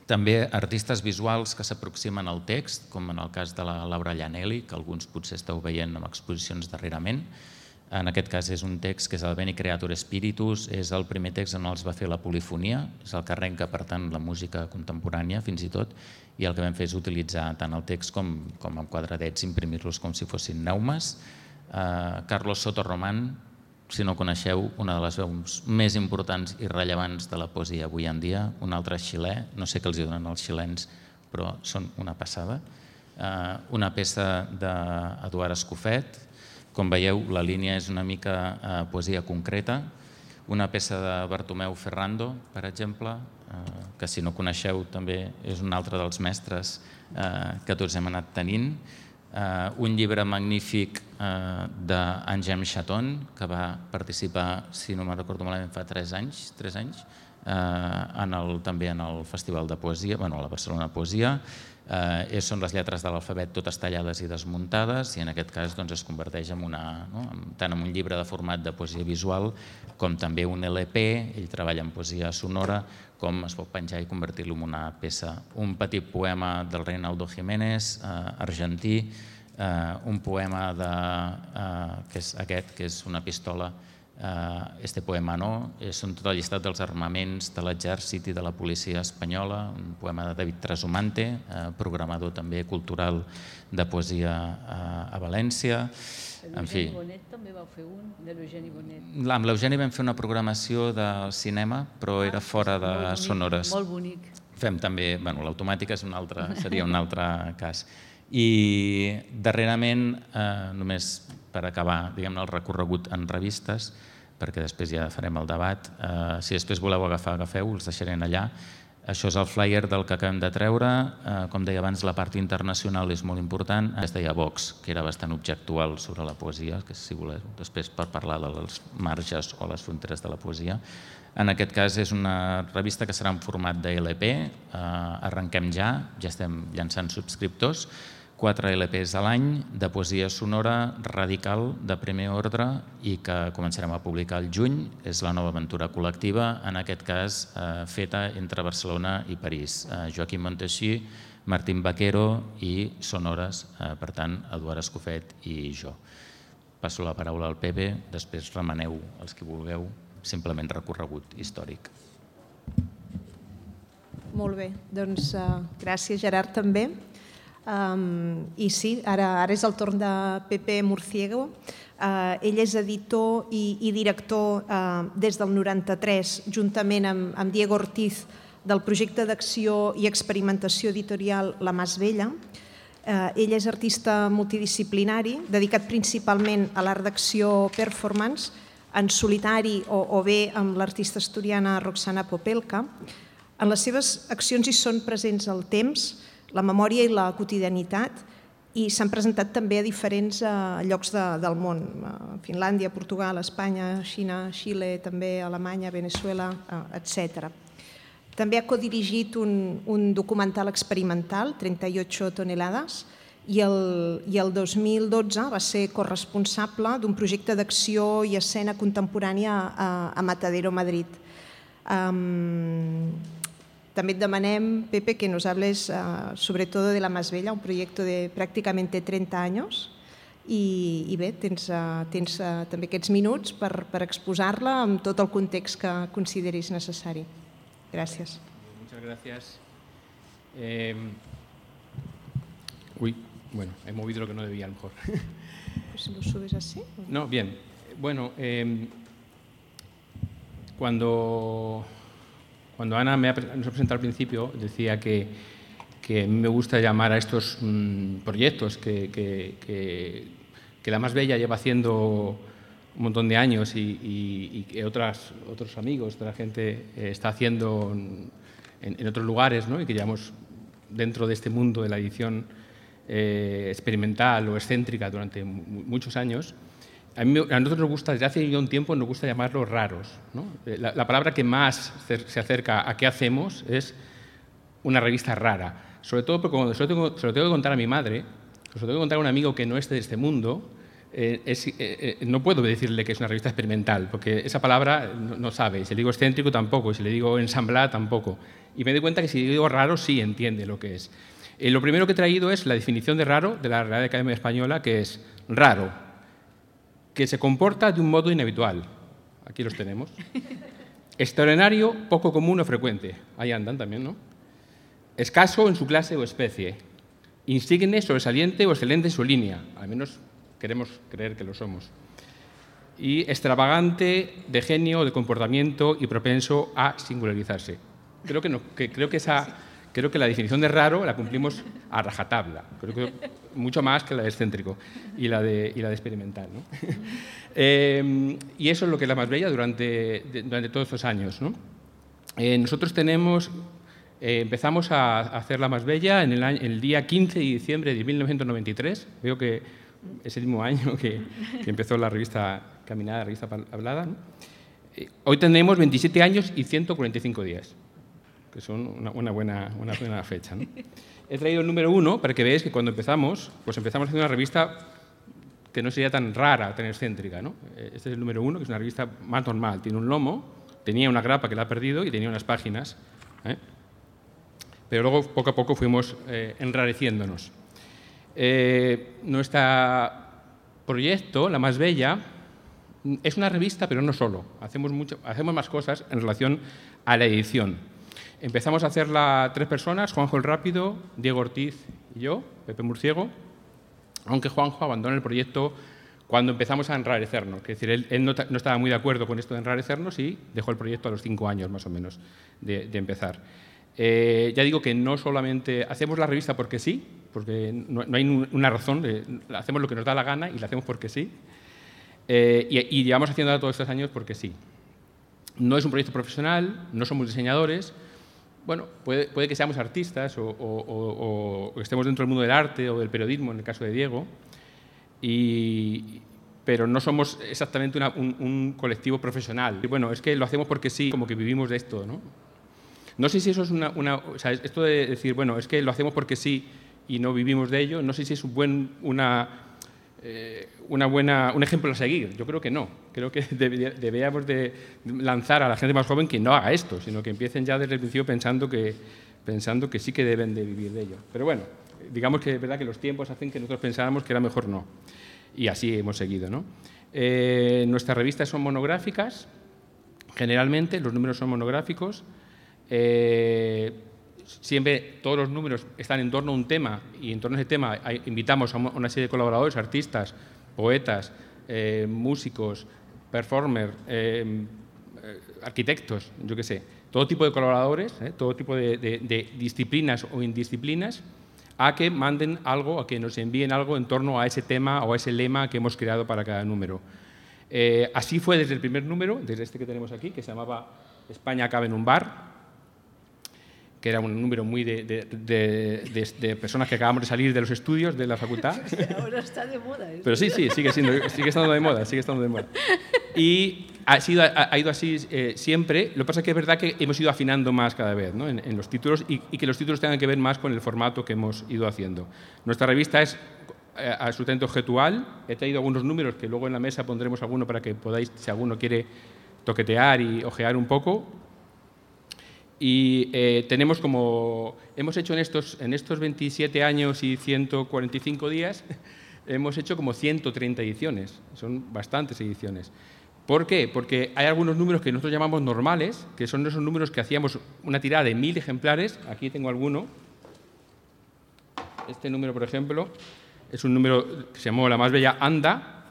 També artistes visuals que s'aproximen al text, com en el cas de la Laura Llanelli, que alguns potser esteu veient en exposicions darrerament. En aquest cas és un text que és el Veni Creator Spiritus, és el primer text en el que es va fer la polifonia, és el que arrenca, per tant, la música contemporània, fins i tot, i el que vam fer és utilitzar tant el text com, com amb quadradets, imprimir-los com si fossin neumes. Eh, Carlos Soto Román, si no coneixeu, una de les veus més importants i rellevants de la poesia avui en dia, un altre xilè, no sé què els donen els xilens, però són una passada. Una peça d'Eduard Escofet, com veieu la línia és una mica poesia concreta, una peça de Bartomeu Ferrando, per exemple, que si no coneixeu també és un altre dels mestres que tots hem anat tenint, Uh, un llibre magnífic uh, d'Angem Chaton, que va participar, si no me'n recordo malament, fa tres anys, tres anys uh, en el, també en el Festival de Poesia, bueno, a la Barcelona Poesia. Uh, són les lletres de l'alfabet totes tallades i desmuntades i en aquest cas doncs, es converteix en una, no? tant en un llibre de format de poesia visual com també un L P, ell treballa en poesia sonora, com es pot penjar i convertir-lo en una peça. Un petit poema del Reinaldo Jiménez, eh, argentí, eh, un poema de, eh, que és aquest, que és una pistola, eh, este poema no, són tot el llistat dels armaments de l'exèrcit i de la policia espanyola, un poema de David Trasumante, eh, programador també cultural de poesia eh, a València. L'Eugeni Bonet també vau fer un, de l'Eugeni Bonet. Amb l'Eugeni vam fer una programació de cinema, però era fora de Sonores. Molt bonic. Fem també, bueno, l'automàtica és un altre, seria un altre cas. I darrerament, eh, només per acabar diguem-ne el recorregut en revistes, perquè després ja farem el debat, eh, si després voleu agafar, agafeu, els deixaré allà. Això és el flyer del que acabem de treure. Eh, com deia abans, la part internacional és molt important. Es deia Vox, que era bastant objectual sobre la poesia, que si voleu després per parlar dels marges o les fronteres de la poesia. En aquest cas és una revista que serà en format de L P. Eh, arrenquem ja, ja estem llançant subscriptors. Quatre L Ps a l'any de poesia sonora radical de primer ordre i que començarem a publicar al juny. És la nova aventura col·lectiva, en aquest cas eh, feta entre Barcelona i París. Eh, Joaquim Monteixí, Martín Vaquero i Sonores, eh, per tant, Eduard Escofet i jo. Passo la paraula al Pepe, després remeneu els que vulgueu, simplement recorregut històric. Molt bé, doncs uh, gràcies Gerard també. Um, I sí, ara, ara és el torn de Pepe Murciego. Uh, ell és editor i, i director uh, des del noranta-tres, juntament amb, amb Diego Ortiz, del projecte d'acció i experimentació editorial La Mas Vella. Uh, ell és artista multidisciplinari, dedicat principalment a l'art d'acció performance, en solitari o, o bé amb l'artista asturiana Roxana Popelka. En les seves accions hi són presents el temps, la memòria i la quotidianitat, i s'han presentat també a diferents eh, llocs de, del món, Finlàndia, Portugal, Espanya, Xina, Xile, també Alemanya, Venezuela, eh, etcètera. També ha codirigit un, un documental experimental, trenta y ocho tonelades, i el, i el dos mil dotze va ser corresponsable d'un projecte d'acció i escena contemporània a, a Matadero, Madrid. Um, També et demanem, Pepe, que nos hables uh, sobre todo de La Mas Vella, un proyecto de prácticamente treinta años, i, i bé, tens, uh, tens uh, també aquests minuts per, per exposar-la amb tot el context que consideris necessari. Gràcies. Muchas gracias. Eh, uy, bueno, he movido lo que no debía a lo mejor. Pues lo subes así. No, bien. Bueno, eh, cuando... Cuando Ana me ha, nos ha presentado al principio, decía que, que a mí me gusta llamar a estos mmm, proyectos que, que, que, que La Mas Vella lleva haciendo un montón de años y, y, y que otras, otros amigos, otra gente eh, está haciendo en, en otros lugares, ¿no? Y que llevamos dentro de este mundo de la edición eh, experimental o excéntrica durante muchos años. A, mí, a nosotros nos gusta, desde hace ya un tiempo, nos gusta llamarlos raros, ¿no? La, la palabra que más se acerca a qué hacemos es una revista rara. Sobre todo porque cuando se lo tengo, se lo tengo que contar a mi madre, se lo tengo que contar a un amigo que no es de este mundo, eh, es, eh, eh, no puedo decirle que es una revista experimental, porque esa palabra no, no sabe. Si le digo excéntrico, tampoco. Si le digo ensamblada, tampoco. Y me doy cuenta que si digo raro, sí entiende lo que es. Eh, lo primero que he traído es la definición de raro de la Real Academia Española, que es raro, que se comporta de un modo inhabitual. Aquí los tenemos. Extraordinario, poco común o frecuente. Ahí andan también, ¿no? Escaso en su clase o especie. Insigne, sobresaliente o excelente en su línea. Al menos queremos creer que lo somos. Y extravagante, de genio, de comportamiento y propenso a singularizarse. Creo que, no, que, creo que esa... Creo que la definición de raro la cumplimos a rajatabla, creo que mucho más que la de excéntrico y la de, y la de experimental, ¿no? eh, y eso es lo que es La Mas Vella durante, de, durante todos estos años, ¿no? Eh, nosotros tenemos, eh, empezamos a hacer La Mas Vella en el, año, el día quince de diciembre de mil novecientos noventa y tres, veo que es el mismo año que, que empezó la revista Caminada, la revista Hablada, ¿no? Eh, hoy tenemos veintisiete años y ciento cuarenta y cinco días. Que son una, una, buena, una buena fecha, ¿no? He traído el número uno para que veáis que cuando empezamos, pues empezamos haciendo una revista que no sería tan rara, tan excéntrica, ¿no? Este es el número uno, que es una revista más normal. Tiene un lomo, tenía una grapa que la ha perdido y tenía unas páginas, ¿eh? Pero luego, poco a poco, fuimos eh, enrareciéndonos. Eh, nuestro proyecto, La Mas Vella, es una revista, pero no solo. Hacemos, mucho, hacemos más cosas en relación a la edición. Empezamos a hacerla tres personas, Juanjo el Rápido, Diego Ortiz y yo, Pepe Murciego, aunque Juanjo abandonó el proyecto cuando empezamos a enrarecernos. Es decir, él, él no, no estaba muy de acuerdo con esto de enrarecernos y dejó el proyecto a los cinco años más o menos de, de empezar. Eh, ya digo que no solamente hacemos la revista porque sí, porque no, no hay una razón, eh, hacemos lo que nos da la gana y la hacemos porque sí, eh, y, y llevamos haciéndola todos estos años porque sí. No es un proyecto profesional, no somos diseñadores. Bueno, puede, puede que seamos artistas o, o, o, o estemos dentro del mundo del arte o del periodismo, en el caso de Diego, y, pero no somos exactamente una, un, un colectivo profesional. Y bueno, es que lo hacemos porque sí, como que vivimos de esto, ¿no? No sé si eso es una... una o sea, esto de decir, bueno, es que lo hacemos porque sí y no vivimos de ello, no sé si es un buen, una, eh, una buena, un ejemplo a seguir. Yo creo que no. Creo que deberíamos de lanzar a la gente más joven que no haga esto, sino que empiecen ya desde el principio pensando que, pensando que sí que deben de vivir de ello. Pero bueno, digamos que es verdad que los tiempos hacen que nosotros pensáramos que era mejor no. Y así hemos seguido, ¿no? Eh, nuestras revistas son monográficas, generalmente, los números son monográficos. Eh, siempre todos los números están en torno a un tema y en torno a ese tema hay, invitamos a una serie de colaboradores, artistas, poetas, eh, músicos, performers, eh, eh, arquitectos, yo qué sé, todo tipo de colaboradores, eh, todo tipo de, de, de disciplinas o indisciplinas, a que manden algo, a que nos envíen algo en torno a ese tema o a ese lema que hemos creado para cada número. Eh, así fue desde el primer número, desde este que tenemos aquí, que se llamaba España cabe en un bar, que era un número muy de, de, de, de, de personas que acabamos de salir de los estudios de la facultad. Ahora está de moda. ¿eh? Pero sí, sí, sigue, siendo, sigue estando de moda, sigue estando de moda. Y ha, sido, ha, ha ido así eh, siempre. Lo que pasa es que es verdad que hemos ido afinando más cada vez, ¿no? en, en los títulos y, y que los títulos tengan que ver más con el formato que hemos ido haciendo. Nuestra revista es eh, absolutamente objetual. He traído algunos números que luego en la mesa pondremos alguno para que podáis, si alguno quiere toquetear y ojear un poco. Y eh, tenemos como, hemos hecho en estos, en estos veintisiete años y ciento cuarenta y cinco días, hemos hecho como ciento treinta ediciones, son bastantes ediciones. ¿Por qué? Porque hay algunos números que nosotros llamamos normales, que son esos números que hacíamos una tirada de mil ejemplares, aquí tengo alguno. Este número, por ejemplo, es un número que se llamó La más bella anda.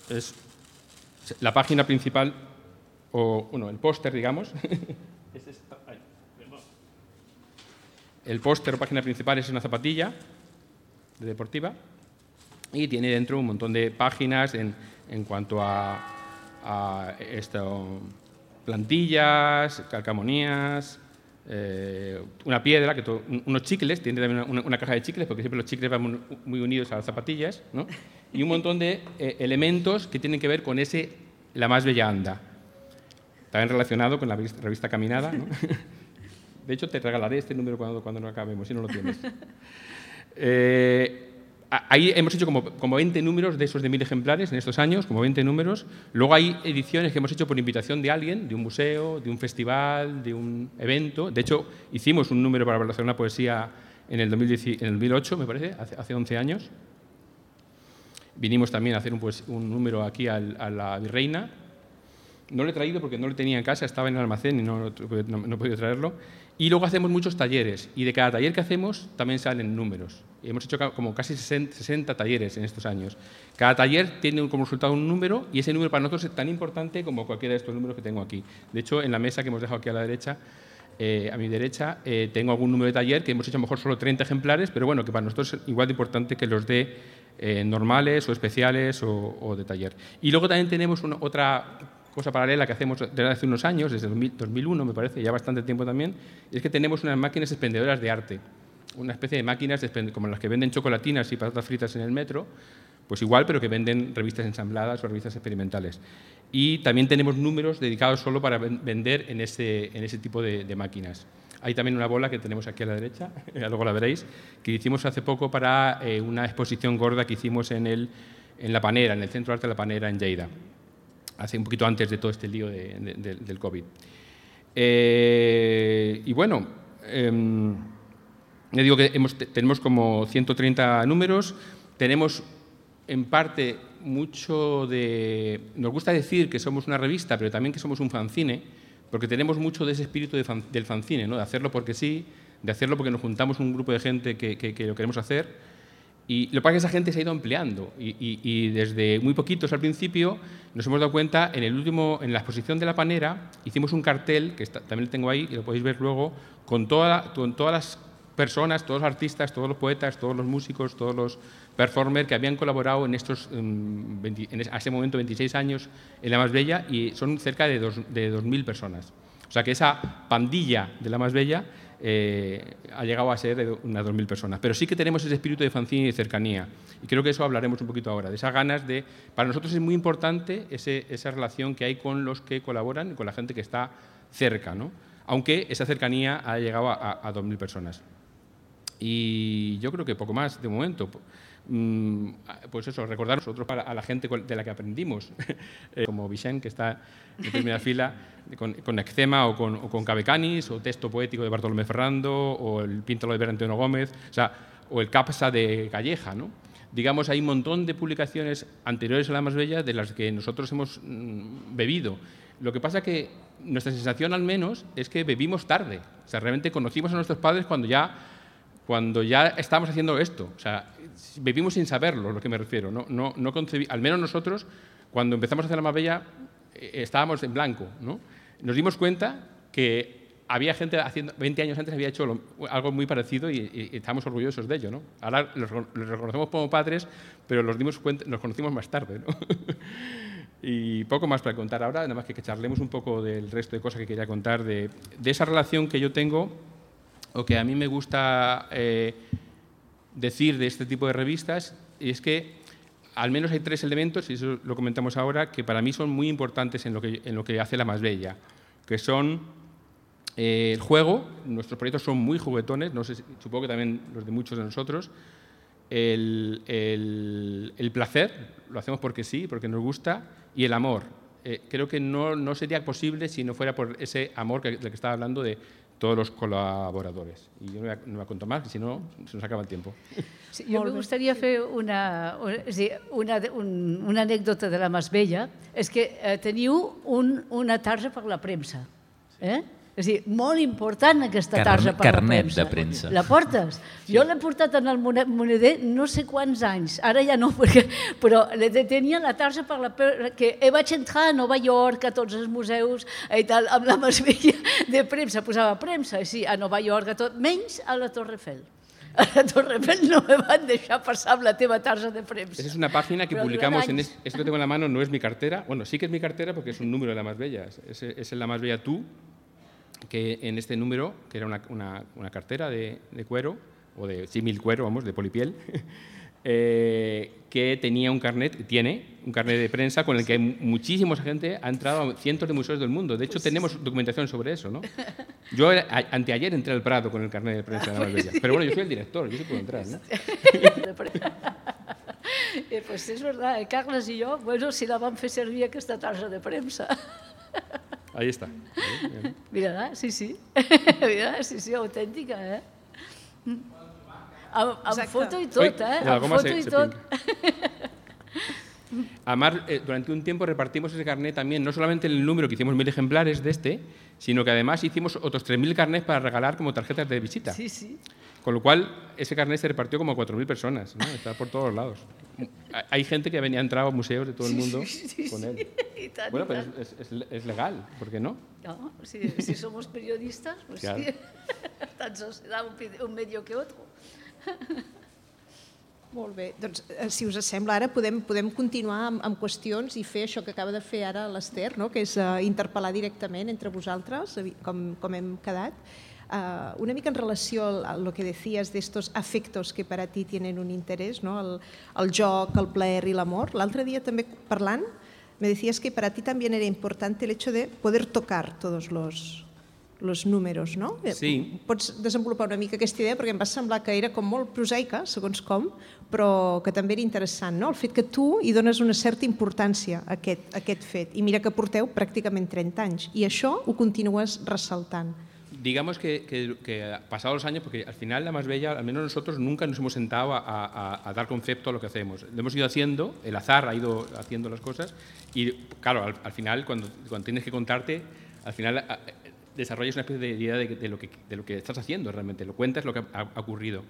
Es la página principal, o bueno, el póster, digamos. Es esta. Ay, el póster o página principal es una zapatilla de deportiva y tiene dentro un montón de páginas en, en cuanto a, a esto, plantillas, calcamonías, eh, una piedra, que todo, unos chicles, tiene también una, una caja de chicles, porque siempre los chicles van muy, muy unidos a las zapatillas, ¿no? Y un montón de eh, elementos que tienen que ver con ese La más bella anda. También relacionado con la revista Caminada, ¿no? De hecho, te regalaré este número cuando, cuando no acabemos, si no lo tienes. Eh, ahí hemos hecho como, como veinte números de esos de mil ejemplares en estos años, como veinte números. Luego hay ediciones que hemos hecho por invitación de alguien, de un museo, de un festival, de un evento. De hecho, hicimos un número para Barcelona Poesía en el, dos mil diez, en el dos mil ocho, me parece, hace, hace once años. Vinimos también a hacer un, pues, un número aquí al, a la Virreina. No lo he traído porque no lo tenía en casa, estaba en el almacén y no, no, no he podido traerlo. Y luego hacemos muchos talleres, y de cada taller que hacemos también salen números. Y hemos hecho como casi sesenta talleres en estos años. Cada taller tiene como resultado un número, y ese número para nosotros es tan importante como cualquiera de estos números que tengo aquí. De hecho, en la mesa que hemos dejado aquí a la derecha, eh, a mi derecha, eh, tengo algún número de taller que hemos hecho a lo mejor solo treinta ejemplares, pero bueno, que para nosotros es igual de importante que los de eh, normales o especiales o, o de taller. Y luego también tenemos una, otra cosa paralela que hacemos desde hace unos años, desde dos mil uno me parece, ya bastante tiempo también, y es que tenemos unas máquinas expendedoras de arte, una especie de máquinas como las que venden chocolatinas y patatas fritas en el metro, pues igual, pero que venden revistas ensambladas o revistas experimentales. Y también tenemos números dedicados solo para vender en ese, en ese tipo de, de máquinas. Hay también una bola que tenemos aquí a la derecha, luego la veréis, que hicimos hace poco para eh, una exposición gorda que hicimos en, el, en La Panera, en el Centro de Arte de La Panera, en Lleida, hace un poquito antes de todo este lío de, de, de, del COVID. Eh, y bueno, eh, le digo que hemos, tenemos como ciento treinta números, tenemos en parte mucho de... Nos gusta decir que somos una revista, pero también que somos un fanzine, porque tenemos mucho de ese espíritu de fan, del fanzine, ¿no? De hacerlo porque sí, de hacerlo porque nos juntamos un grupo de gente que, que, que lo queremos hacer. Y lo que pasa es que esa gente se ha ido ampliando y, y, y desde muy poquitos al principio nos hemos dado cuenta, en, el último, en la exposición de La Panera hicimos un cartel, que está, también lo tengo ahí y lo podéis ver luego, con, toda, con todas las personas, todos los artistas, todos los poetas, todos los músicos, todos los performers que habían colaborado en estos, um, veinte, en ese momento, veintiséis años en La Más Bella, y son cerca de dos, de dos mil personas. O sea que esa pandilla de La Más Bella Eh, ha llegado a ser unas dos mil personas. Pero sí que tenemos ese espíritu de fanzine y de cercanía. Y creo que eso hablaremos un poquito ahora, de esas ganas de... Para nosotros es muy importante ese, esa relación que hay con los que colaboran, con la gente que está cerca, ¿no? Aunque esa cercanía ha llegado a, a dos mil personas. Y yo creo que poco más de momento. Pues eso, recordar nosotros a la gente de la que aprendimos, como Vicent, que está en primera fila, con, con Eczema o con, o con Cabecanis, o Texto Poético de Bartolomé Ferrando, o el Píntalo de Antonio Gómez, o sea, o el Capsa de Calleja, ¿no? Digamos, hay un montón de publicaciones anteriores a La Más Bella de las que nosotros hemos bebido. Lo que pasa que nuestra sensación al menos es que bebimos tarde. O sea, realmente conocimos a nuestros padres cuando ya, cuando ya estábamos haciendo esto. O sea, bebimos sin saberlo, lo que me refiero. No, no, no concebí, al menos nosotros, cuando empezamos a hacer la Marbella, eh, estábamos en blanco, ¿no? Nos dimos cuenta que había gente haciendo, veinte años antes había hecho lo, algo muy parecido y, y, y estábamos orgullosos de ello, ¿no? Ahora los, los reconocemos como padres, pero los dimos cuenta, nos conocimos más tarde, ¿no? Y poco más para contar ahora, nada más que, que charlemos un poco del resto de cosas que quería contar, de, de esa relación que yo tengo, o que a mí me gusta eh, decir de este tipo de revistas, y es que al menos hay tres elementos, y eso lo comentamos ahora, que para mí son muy importantes en lo que, en lo que hace La Más Bella, que son eh, el juego. Nuestros proyectos son muy juguetones, no sé, supongo que también los de muchos de nosotros. El, el, el placer, lo hacemos porque sí, porque nos gusta, y el amor. Eh, creo que no, no sería posible si no fuera por ese amor que, del que estaba hablando de todos los colaboradores. Y yo no voy a, no voy a contar más, si no, se nos acaba el tiempo. Sí, jo me gustaría fer una, una, un, una anècdota de La Mas Bella. És que eh, teniu un, una tarja per la premsa. Eh? És a dir, molt important aquesta tarja per la premsa. Carnet de premsa. La portes? Sí. Jo l'he portat en el moneder no sé quants anys, ara ja no, perquè, però tenia la tarja per la premsa, que vaig entrar a Nova York, a tots els museus i tal, amb la Mas Bella de premsa, posava premsa, sí, a Nova York, a tot, menys a la Torre Eiffel. A la Torre Eiffel no me van deixar pasar amb la teva tarja de premsa. Esa es una página que publicamos, en es, esto que tengo en la mano no es mi cartera, bueno, sí que es mi cartera porque es un número de La Más Bella, es, es La Más Bella Tú, que en este número, que era una, una, una cartera de, de cuero, o de símil cuero, vamos, de polipiel, eh, que tenía un carnet, tiene un carnet de prensa con el que muchísima gente ha entrado a cientos de museos del mundo. De hecho, pues tenemos sí. documentación sobre eso, ¿no? Yo a, anteayer entré al Prado con el carnet de prensa de La Más Bella. Pero bueno, yo soy el director, yo sí puedo entrar, ¿no? Eh, pues és verdad, eh? Carles i jo, bueno, si la vam fer servir aquesta tarja de premsa. Ahí está. Mira, sí, sí. Mira, sí, sí, autèntica, eh? Amb, amb foto i tot, eh? Amb foto i tot. Además, eh, durante un tiempo repartimos ese carnet también, no solamente en el número, que hicimos mil ejemplares de este, sino que además hicimos otros tres mil carnets para regalar como tarjetas de visita. Sí, sí. Con lo cual, ese carnet se repartió como a cuatro mil personas, ¿no? Está por todos lados. Hay gente que venía, entrado a museos de todo el mundo sí, sí, sí, con él. Sí, tant, bueno, pero es, es, es legal, ¿por qué no? No, si, si somos periodistas, pues claro. Sí, tanto será un, un medio que otro. Molt bé, doncs si us sembla ara podem, podem continuar amb, amb qüestions i fer això que acaba de fer ara l'Ester, no? Que és uh, interpel·lar directament entre vosaltres, com, com hem quedat. Uh, una mica en relació a lo que decías de estos afectos que para ti tienen un interés, ¿no? el, el joc, el plaer y el amor. L'altre dia també parlant me decías que para ti también era importante el hecho de poder tocar todos los, los números, ¿no? Sí. Pots desenvolupar una mica aquesta idea perquè em va semblar que era com molt prosaica, segons com, però que també era interessant, no? El fet que tu hi dones una certa importància a aquest, a aquest fet. I mira que porteu pràcticament trenta anys i això ho continues ressaltant. Digamos que, que, que pasados los años, porque al final La Más Bella, al menos nosotros nunca nos hemos sentado a, a, a dar concepto a lo que hacemos. Lo hemos ido haciendo, el azar ha ido haciendo las cosas y claro, al, al final cuando, cuando tienes que contarte, al final a, desarrollas una especie de idea de, de, lo que, de lo que estás haciendo realmente, lo cuentas lo que ha, ha ocurrido.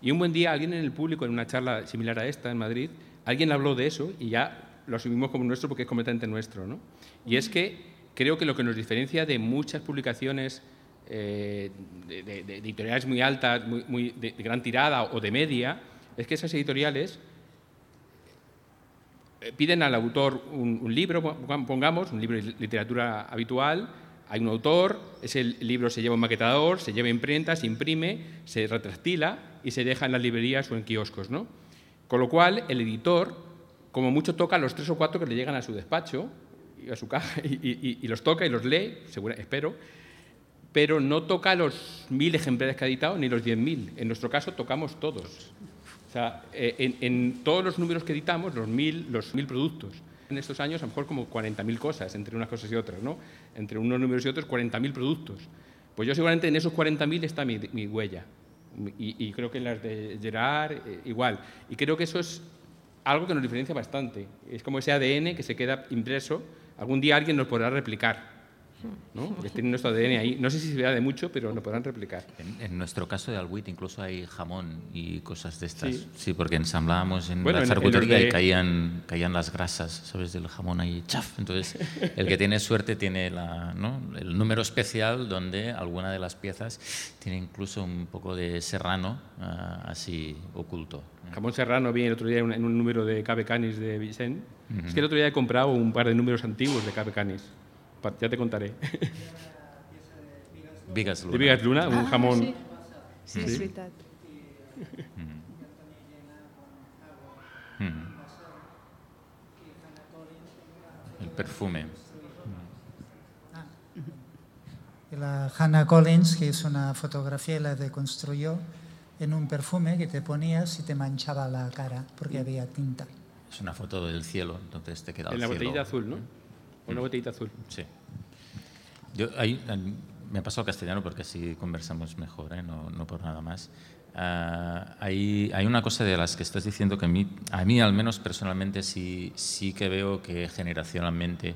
Y un buen día alguien en el público, en una charla similar a esta en Madrid, alguien habló de eso y ya lo asumimos como nuestro porque es completamente nuestro, ¿no? Y es que creo que lo que nos diferencia de muchas publicaciones Eh, de, de, de editoriales muy altas, muy, muy de, de gran tirada o de media, es que esas editoriales piden al autor un, un libro, pongamos, un libro de literatura habitual, hay un autor, ese libro se lleva un maquetador, se lleva a imprenta, se imprime, se retractila y se deja en las librerías o en kioscos, ¿no? Con lo cual, el editor, como mucho, toca los tres o cuatro que le llegan a su despacho, a su caja, y, y, y los toca y los lee, seguro, espero, pero no toca los mil ejemplares que ha editado ni los diez mil. En nuestro caso tocamos todos. O sea, en, en todos los números que editamos, los mil, los mil productos. En estos años a lo mejor como cuarenta mil cosas, entre unas cosas y otras, ¿no? Entre unos números y otros, cuarenta mil productos. Pues yo seguramente en esos cuarenta mil está mi, mi huella. Y, y creo que en las de Gerard eh, igual. Y creo que eso es algo que nos diferencia bastante. Es como ese A D N que se queda impreso algún día alguien nos podrá replicar, ¿no? Porque tienen nuestro A D N ahí. No sé si se verá de mucho, pero lo podrán replicar. En, en nuestro caso de Albuit incluso hay jamón y cosas de estas. Sí, sí porque ensamblábamos en bueno, la en- charcutería en los de- y caían, caían las grasas, ¿sabes? Del jamón ahí, chaf. Entonces, el que tiene suerte tiene la, ¿no? el número especial donde alguna de las piezas tiene incluso un poco de serrano uh, así oculto. Jamón serrano vi el otro día en un, en un número de Cabe Canis de Vicent. Uh-huh. Es que el otro día he comprado un par de números antiguos de Cabe Canis. Ya te contaré. Vigas Luna. De Vigas Luna, un Ah, jamón. Sí, sí, és veritat. El perfume. Y la Hannah Collins, que es una fotografía, la deconstruyó en un perfume que te ponías y te manchaba la cara porque había tinta. Es una foto del cielo, entonces te queda el En la cielo. botellita azul, ¿no? Una botellita azul. Sí. Yo, ahí, me paso al castellano porque así conversamos mejor, ¿eh? no, no por nada más. Uh, hay, hay una cosa de las que estás diciendo que a mí, a mí al menos personalmente sí, sí que veo que generacionalmente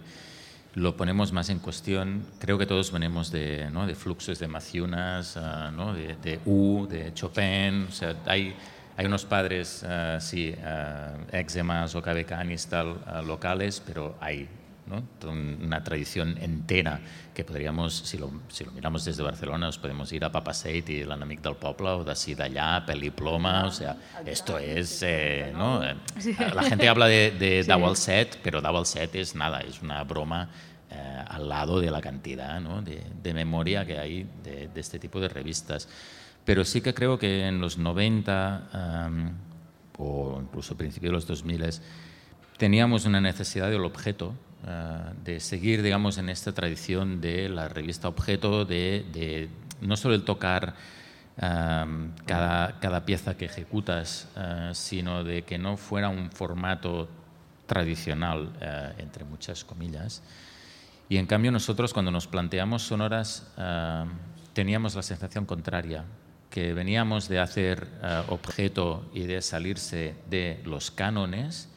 lo ponemos más en cuestión. Creo que todos venimos de, ¿no? de fluxos de Maciunas, uh, ¿no? de, de U, de Chopin. O sea, hay, hay unos padres, uh, sí, uh, eczemas o cabecanis tal, uh, locales, pero hay, ¿no? una tradición entera que podríamos, si lo, si lo miramos desde Barcelona, nos podemos ir a Papaseit y l'Enemic del Poble, o d'ací d'allà, Peliploma, o sea, esto es, eh, ¿no? La gente habla de, de sí. Dau al set, pero Dau al set es nada, es una broma eh, al lado de la cantidad, ¿no? de, de memoria que hay de, de este tipo de revistas. Pero sí que creo que en los noventa um, o incluso a principios de los dos mil teníamos una necesidad del objeto, Uh, de seguir, digamos, en esta tradición de la revista objeto, de, de no solo el tocar um, cada, cada pieza que ejecutas, uh, sino de que no fuera un formato tradicional, uh, entre muchas comillas. Y en cambio nosotros cuando nos planteamos sonoras uh, teníamos la sensación contraria, que veníamos de hacer uh, objeto y de salirse de los cánones,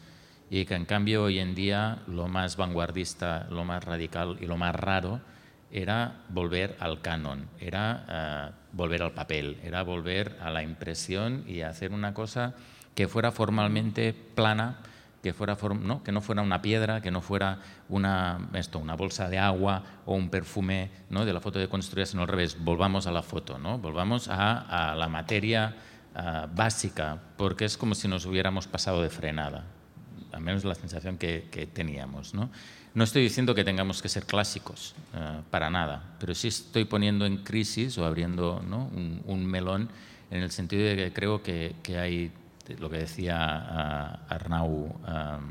y que en cambio hoy en día lo más vanguardista, lo más radical y lo más raro era volver al canon, era uh, volver al papel, era volver a la impresión y hacer una cosa que fuera formalmente plana, que, fuera form ¿no? que no fuera una piedra, que no fuera una, esto, una bolsa de agua o un perfume, ¿no? de la foto deconstruida, sino al revés, volvamos a la foto, ¿no? volvamos a, a la materia uh, básica, porque es como si nos hubiéramos pasado de frenada. Al menos la sensación que, que teníamos, ¿no? No estoy diciendo que tengamos que ser clásicos, uh, para nada, pero sí estoy poniendo en crisis o abriendo, ¿no? un, un melón en el sentido de que creo que, que hay, lo que decía uh, Arnau, um,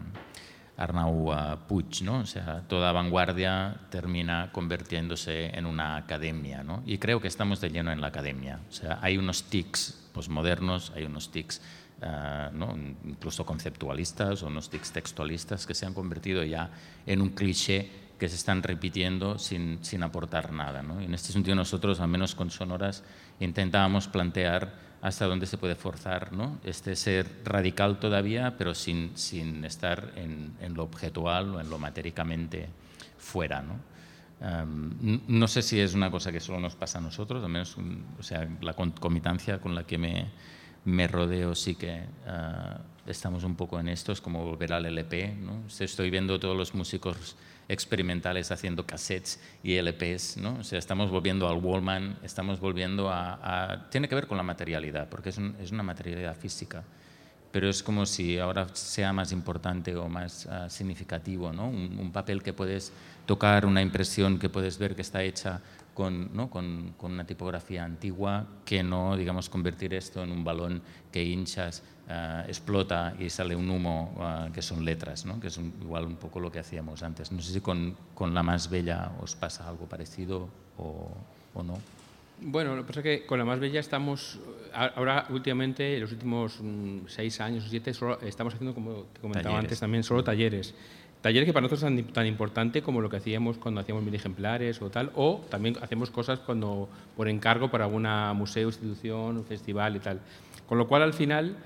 Arnau uh, Puig, ¿no? O sea, toda vanguardia termina convirtiéndose en una academia, ¿no? Y creo que estamos de lleno en la academia. O sea, hay unos tics posmodernos, hay unos tics Uh, ¿no? incluso conceptualistas o unos tics textualistas que se han convertido ya en un cliché que se están repitiendo sin, sin aportar nada, ¿no? Y en este sentido nosotros, al menos con Sonoras, intentábamos plantear hasta dónde se puede forzar, ¿no? este ser radical todavía, pero sin, sin estar en, en lo objetual o en lo matéricamente fuera, ¿no? Um, no sé si es una cosa que solo nos pasa a nosotros, al menos o sea, la concomitancia con la que me me rodeo sí que uh, estamos un poco en esto, es como volver al L P, ¿no? Estoy viendo todos los músicos experimentales haciendo cassettes y L Ps, ¿no? O sea, estamos volviendo al Wallman, estamos volviendo a, a... Tiene que ver con la materialidad, porque es, un, es una materialidad física, pero es como si ahora sea más importante o más uh, significativo, ¿no? Un, un papel que puedes tocar, una impresión que puedes ver que está hecha Con, ¿no? con, con una tipografía antigua, que no, digamos, convertir esto en un balón que hinchas, uh, explota y sale un humo, uh, que son letras, ¿no? que es un, igual un poco lo que hacíamos antes. No sé si con, con La Más Bella os pasa algo parecido o, o no. Bueno, lo que pasa es que con La Más Bella estamos, ahora últimamente, en los últimos mm, seis años o siete, solo, estamos haciendo, como te comentaba talleres. antes también, solo talleres. Talleres que para nosotros son tan, tan importante como lo que hacíamos cuando hacíamos mil ejemplares o tal, o también hacemos cosas cuando por encargo para alguna museo, institución, festival y tal. Con lo cual, al final,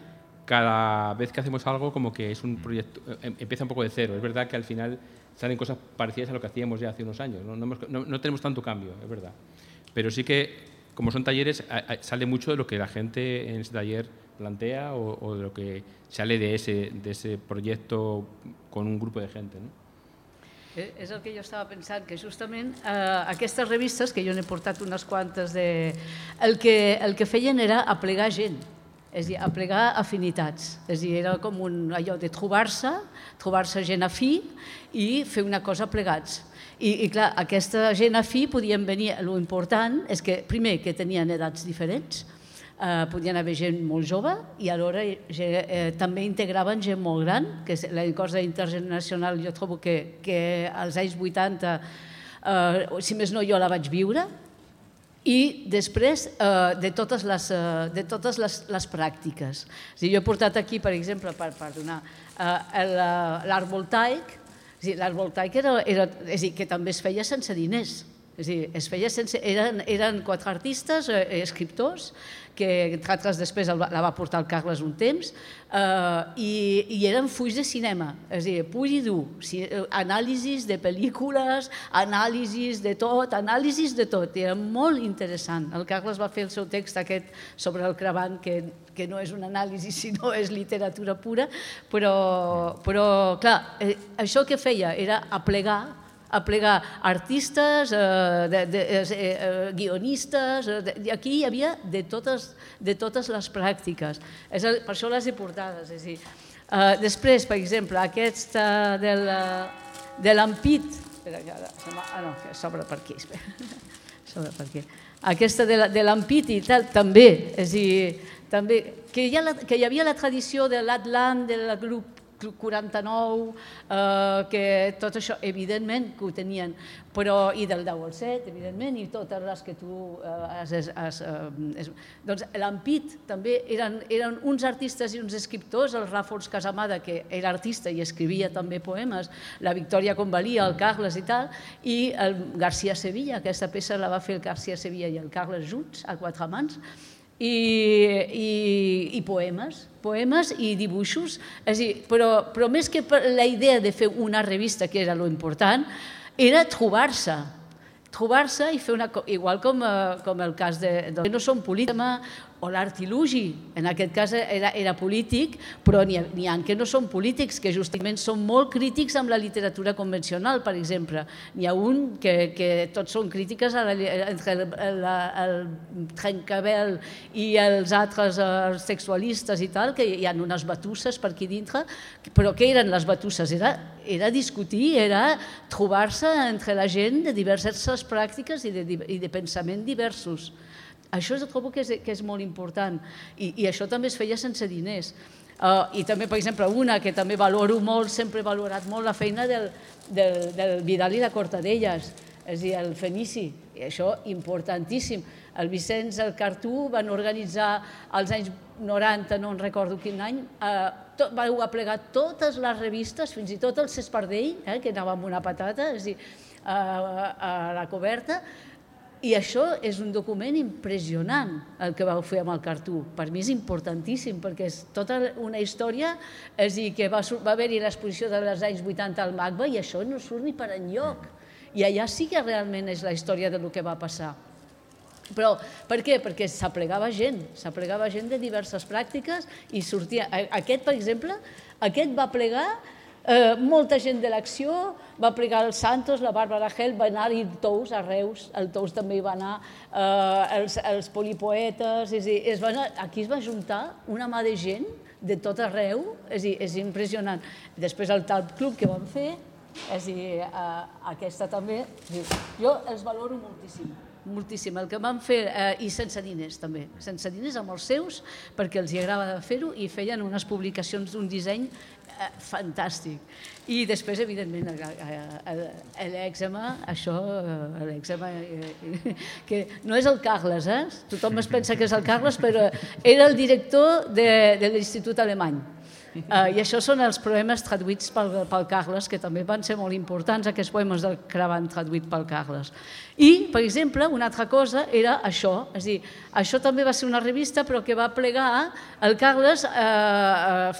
cada vez que hacemos algo como que es un proyecto, empieza un poco de cero. Es verdad que al final salen cosas parecidas a lo que hacíamos ya hace unos años, no, no, hemos, no, no tenemos tanto cambio, es verdad. Pero sí que, como son talleres, sale mucho de lo que la gente en ese taller plantea o, o de lo que sale de ese, de ese proyecto con un grupo de gente, no? És el que jo estava pensant, que justament eh, aquestes revistes, que jo n'he portat unes quantes, de, el, que, el que feien era aplegar gent, és a dir, aplegar afinitats. És a dir, era com un, allò de trobar-se, trobar-se gent afí i fer una cosa plegats. I, i clar, aquesta gent afí podien venir, l'important és que, primer, que tenien edats diferents, Uh, podien haver gent molt jove i alhora eh, també integraven gent molt gran, que la cosa intergeneracional jo trobo que, que als anys vuitanta, uh, si més no jo la vaig viure, i després uh, de totes les, uh, de totes les, les pràctiques. És a dir, jo he portat aquí, per exemple, per, per donar uh, l'art voltaic, l'art voltaic era, era, és a dir, que també es feia sense diners. És a dir, es feia sense, eren, eren quatre artistes, eh, escriptors, que entre altres després la va portar el Carles un temps, eh, i, i eren fulls de cinema, és a dir, pur i dur, anàlisis de pel·lícules, anàlisis de tot, anàlisis de tot, era molt interessant. El Carles va fer el seu text aquest sobre el Cravant, que, que no és un anàlisi, sinó és literatura pura, però, però clar, eh, això que feia era aplegar aplegar artistes, eh, de, de, eh, guionistes, eh, aquí hi havia de totes, de totes les pràctiques. És el, per això les he portades. És dir, eh, després, per exemple, aquesta de l'Ampit, ah no, que s'obre per aquí, s'obre per aquí. Aquesta de l'Ampit i tal, també, és dir, també, que hi, ha la, que hi havia la tradició de l'Atlant, del grup quaranta-nou, eh, que tot això, evidentment, que ho tenien, però, i del deu al set, evidentment, i totes les que tu eh, has... has eh, doncs l'Ampit també eren, eren uns artistes i uns escriptors, el Ràfols Casamada, que era artista i escrivia també poemes, la Victòria Convalia, el Carles i tal, i el García Sevilla, aquesta peça la va fer el García Sevilla i el Carles junts, a quatre mans, i, i, i poemes, poemes i dibuixos, és a dir, però, però més que la idea de fer una revista, que era l'important, era trobar-se, trobar-se i fer una cosa, igual com, com el cas de, de no són polítics, o l'artilugi, en aquest cas era, era polític, però n'hi ha, ha que no són polítics, que justament són molt crítics amb la literatura convencional, per exemple. N'hi ha un que, que tots són crítiques a la, entre el, la, el Trencabel i els altres els sexualistes i tal, que hi ha unes batusses per aquí dintre, però què eren les batusses? Era, era discutir, era trobar-se entre la gent de diverses pràctiques i de, i de pensament diversos. Això trobo que és, que és molt important i, i això també es feia sense diners. Uh, I també, per exemple, una que també valoro molt, sempre he valorat molt la feina del, del, del Vidal i la Cortadelles, és a dir, el Fenici, i això importantíssim. El Vicenç, el Cartú van organitzar als anys noranta, no en recordo quin any, uh, tot, vau aplegar totes les revistes, fins i tot el Cespardell, eh, que anava amb una patata, és a dir, uh, a la coberta. I això és un document impressionant, el que vau fer amb el Cartú. Per mi és importantíssim, perquè és tota una història, és a dir, que va, va haver-hi l'exposició dels anys vuitanta al MACBA i això no surt ni per enlloc. I allà sí que realment és la història del que va passar. Però per què? Perquè s'aplegava gent, s'aplegava gent de diverses pràctiques i sortia... Aquest, per exemple, aquest va plegar Eh, molta gent de l'acció, va plegar el Santos, la Bàrbara Gel, va anar-hi Tous a Reus, el Tous també hi va anar, eh, els, els polipoetes, és a dir, es va anar, aquí es va juntar una mà de gent de tot arreu, és a dir, és impressionant. Després el Talp Club que vam fer, és a dir, eh, aquesta també, jo els valoro moltíssim. Moltíssim, el que van fer, eh, i sense diners també, sense diners amb els seus, perquè els agrada fer-ho i feien unes publicacions d'un disseny eh, fantàstic. I després, evidentment, l'èxema, això, l'èxema, eh, que no és el Carles, eh? Tothom es pensa que és el Carles, però era el director de, de l'Institut Alemany. I això són els poemes traduïts pel Carles, que també van ser molt importants, aquests poemes del Cravant traduïts pel Carles. I, per exemple, una altra cosa era això, és a dir, això també va ser una revista però que va plegar, el Carles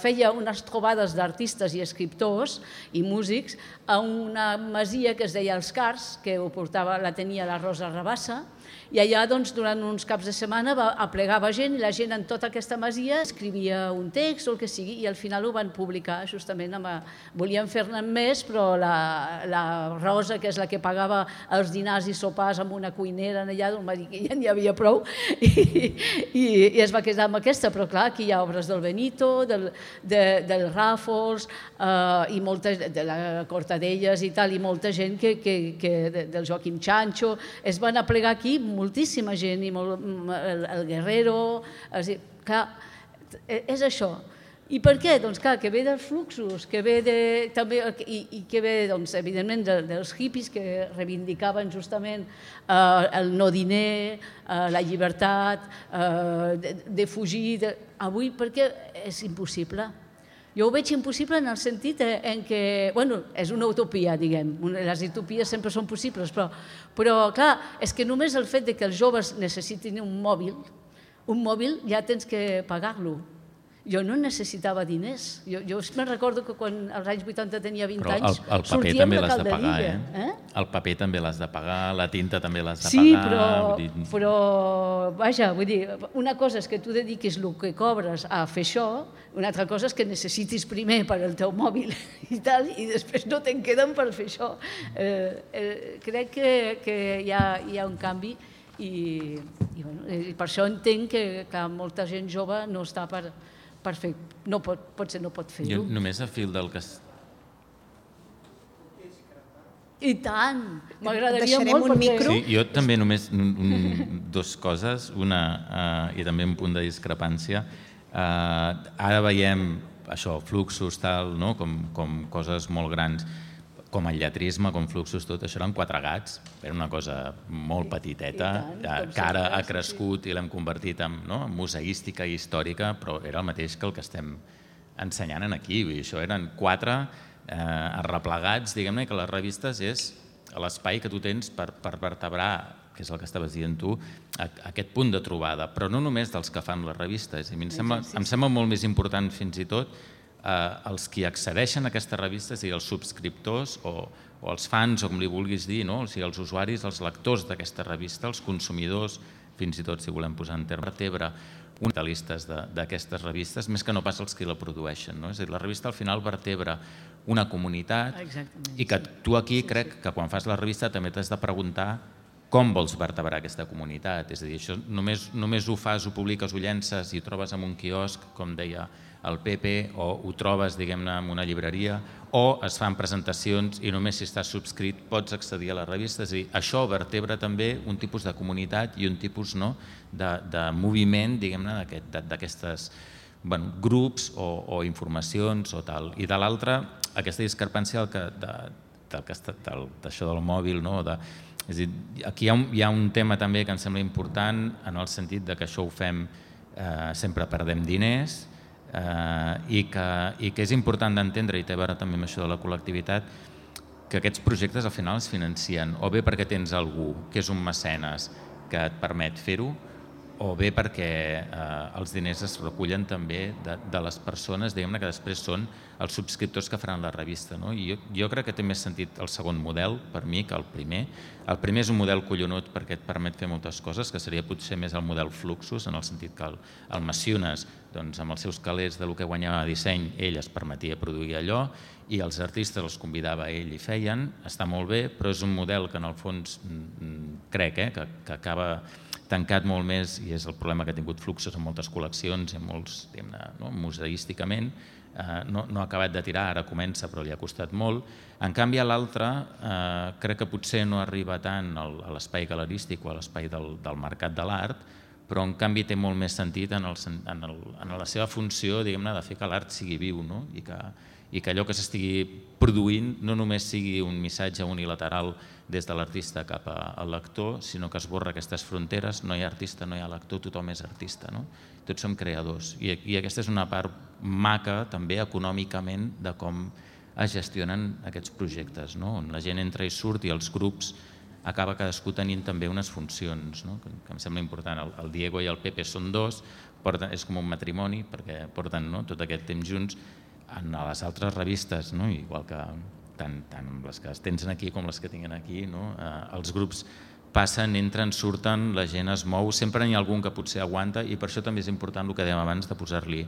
feia unes trobades d'artistes i escriptors i músics a una masia que es deia Els Cars, que ho portava, la tenia la Rosa Rabassa, i allà durant uns caps de setmana aplegava gent i la gent en tota aquesta masia escrivia un text o el que sigui i al final ho van publicar justament. Volien fer-ne més, però la Rosa, que és la que pagava els dinars i sopars amb una cuinera allà, va dir que ja n'hi havia prou i es va quedar amb aquesta. Però clar, aquí hi ha obres del Benito, del Ràfols i moltes de la Cortadelles i tal, i molta gent del Joaquim Chancho. Es van aplegar aquí moltíssima gent, i el Guerrero, clar, és això. I per què? Doncs clar, que ve dels fluxos, que ve també, i que ve, doncs, evidentment, dels hippies que reivindicaven justament el no diner, la llibertat, de fugir. Avui, per què és impossible? Jo ho veig impossible en el sentit en què, bueno, és una utopia, diguem, les utopies sempre són possibles, però, clar, és que només el fet que els joves necessitin un mòbil, un mòbil ja tens que pagar-lo. Jo no necessitava diners. Jo me'n recordo que quan als anys vuitanta tenia vint anys sortíem de Calderilla. El paper també l'has de pagar, la tinta també l'has de pagar. Sí, però, vaja, vull dir, una cosa és que tu dediquis el que cobres a fer això, una altra cosa és que necessitis primer per al teu mòbil i tal, i després no te'n queden per fer això. Crec que hi ha un canvi i per això entenc que molta gent jove no està per... potser no pot fer-ho. Jo només a fil del que... I tant! M'agradaria molt perquè... Sí, jo també només dues coses, una i també un punt de discrepància. Ara veiem això, fluxos, tal, com coses molt grans, com el lletrisme, com fluxos, tot això eren quatre gats, era una cosa molt petiteta, que ara ha crescut i l'hem convertit en museística i històrica, però era el mateix que el que estem ensenyant aquí. Això eren quatre arreplegats, diguem-ne, que les revistes és l'espai que tu tens per vertebrar, que és el que estaves dient tu, aquest punt de trobada, però no només dels que fan les revistes. Em sembla molt més important fins i tot els qui accedeixen a aquestes revistes, sigui els subscriptors o els fans, o com li vulguis dir, o sigui els usuaris, els lectors d'aquesta revista, els consumidors, fins i tot si volem posar en terme vertebra, uns analistes d'aquestes revistes, més que no pas els qui la produeixen. És a dir, la revista al final vertebra una comunitat i que tu aquí crec que quan fas la revista també t'has de preguntar com vols vertebrar aquesta comunitat. És a dir, això només ho fas, ho publiques, ho llences i ho trobes en un quiosc, com deia el Pepe, o ho trobes, diguem-ne, en una llibreria, o es fan presentacions i només si estàs subscrit pots accedir a la revista. És a dir, això vertebra també un tipus de comunitat i un tipus de moviment, diguem-ne, d'aquestes grups o informacions o tal. I de l'altra, aquesta discrepància d'això del mòbil, és a dir, aquí hi ha un tema també que em sembla important en el sentit que això ho fem, sempre perdem diners, i que és important d'entendre, i té a veure també amb això de la col·lectivitat, que aquests projectes al final es financien o bé perquè tens algú que és un mecenes que et permet fer-ho, o bé perquè els diners es recullen també de les persones, diguem-ne, que després són els subscriptors que faran la revista. Jo crec que té més sentit el segon model, per mi, que el primer. El primer és un model collonut perquè et permet fer moltes coses, que seria potser més el model Fluxus, en el sentit que el Maciones, amb els seus calés de lo que guanyava a disseny, ell es permetia produir allò i els artistes els convidava a ell i feien. Està molt bé, però és un model que en el fons crec que acaba tancat molt més, i és el problema que ha tingut Fluxus en moltes col·leccions i en molts, diguem-ne, museísticament, no ha acabat de tirar, ara comença però li ha costat molt. En canvi a l'altre crec que potser no arriba tant a l'espai galerístic o a l'espai del mercat de l'art, però en canvi té molt més sentit en la seva funció, diguem-ne, de fer que l'art sigui viu i i que allò que s'estigui produint no només sigui un missatge unilateral des de l'artista cap al lector, sinó que esborra aquestes fronteres, no hi ha artista, no hi ha lector, tothom és artista, no? Tots som creadors i, i aquesta és una part maca també econòmicament de com es gestionen aquests projectes, no? On la gent entra i surt i els grups acaba cadascú tenint també unes funcions, no? Que em sembla important. El, el Diego i el Pepe són dos, porten, és com un matrimoni perquè porten, no, tot aquest temps junts. En les altres revistes, no? Igual que tant, tant les que es tenen aquí com les que tinguin aquí, no? Eh, els grups passen, entren, surten, la gent es mou, sempre n'hi ha algun que potser aguanta i per això també és important el que dèiem abans de posar-li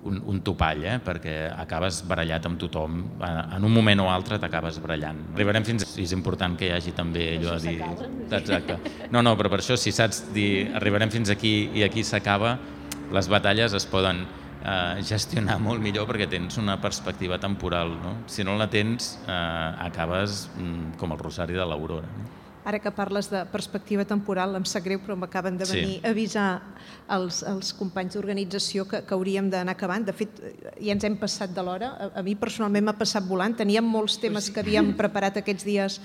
un, un topall, eh? Perquè acabes barallat amb tothom, en un moment o altre t'acabes barallant. Arribarem fins a... És important que hi hagi també allò de dir... Exacte. No, no, però per això si saps dir arribarem fins aquí i aquí s'acaba, les batalles es poden eh, gestionar molt millor perquè tens una perspectiva temporal, no? Si no la tens, eh, acabes mm, com el rosari de l'Aurora. No? Ara que parles de perspectiva temporal, em sap greu, però m'acaben de venir sí. a avisar els, els companys d'organització que, que hauríem d'anar acabant. De fet, ja ens hem passat de l'hora. A, a mi personalment m'ha passat volant. Teníem molts temes que havíem preparat aquests dies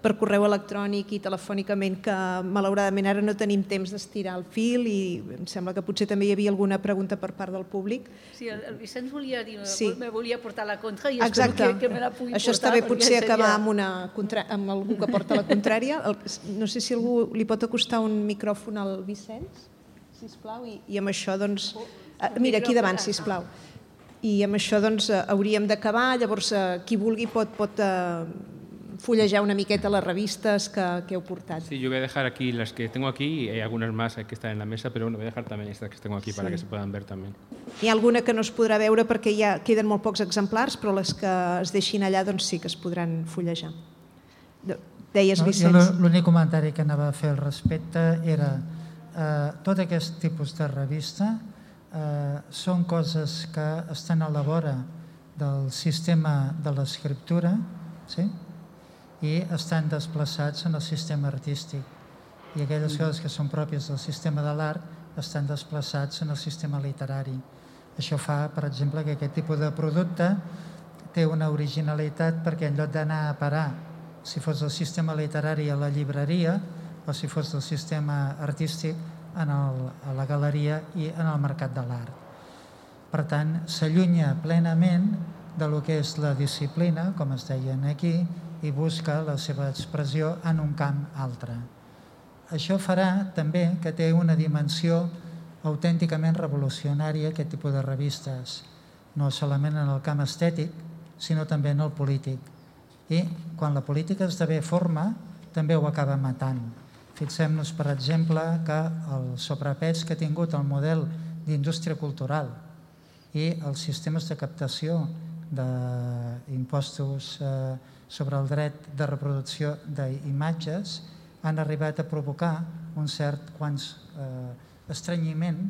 per correu electrònic i telefònicament que malauradament ara no tenim temps d'estirar el fil i em sembla que potser també hi havia alguna pregunta per part del públic. Sí, el, el Vicenç volia dir, sí. me volia portar la contra i espero que, que me la pugui Això portar. està bé, potser seria... acabar amb, una contra... amb algú que porta la contrària. El... No sé si algú li pot acostar un micròfon al Vicenç, sisplau, i, i amb això, doncs... Mira, aquí davant, sisplau. I amb això, doncs, hauríem d'acabar, llavors qui vulgui pot... pot fullejar una miqueta les revistes que, que heu portat. Sí, yo voy a dejar aquí las que tengo aquí y hay algunas más que están en la mesa, pero bueno, voy a dejar también estas que tengo aquí sí. para que se puedan ver también. Hi ha alguna que no es podrà veure perquè ja queden molt pocs exemplars, però les que es deixin allà doncs sí que es podran fullejar. Deies, Vicenç. No, l'únic comentari que anava a fer al respecte era eh, tot aquest tipus de revista eh, són coses que estan a la vora del sistema de l'escriptura, sí? I estan desplaçats en el sistema artístic. I aquelles coses que són pròpies del sistema de l'art estan desplaçats en el sistema literari. Això fa, per exemple, que aquest tipus de producte té una originalitat perquè en lloc d'anar a parar, si fos del sistema literari a la llibreria o si fos del sistema artístic en el, a la galeria i en el mercat de l'art. Per tant, s'allunya plenament de lo que és la disciplina, com es deien aquí, i busca la seva expressió en un camp altre. Això farà també que té una dimensió autènticament revolucionària aquest tipus de revistes, no solament en el camp estètic, sinó també en el polític. I quan la política esdevé forma, també ho acaba matant. Fixem-nos, per exemple, que el sobrepès que ha tingut el model d'indústria cultural i els sistemes de captació d'impostos eh, sobre el dret de reproducció d'imatges han arribat a provocar un cert quants eh, estrenyiment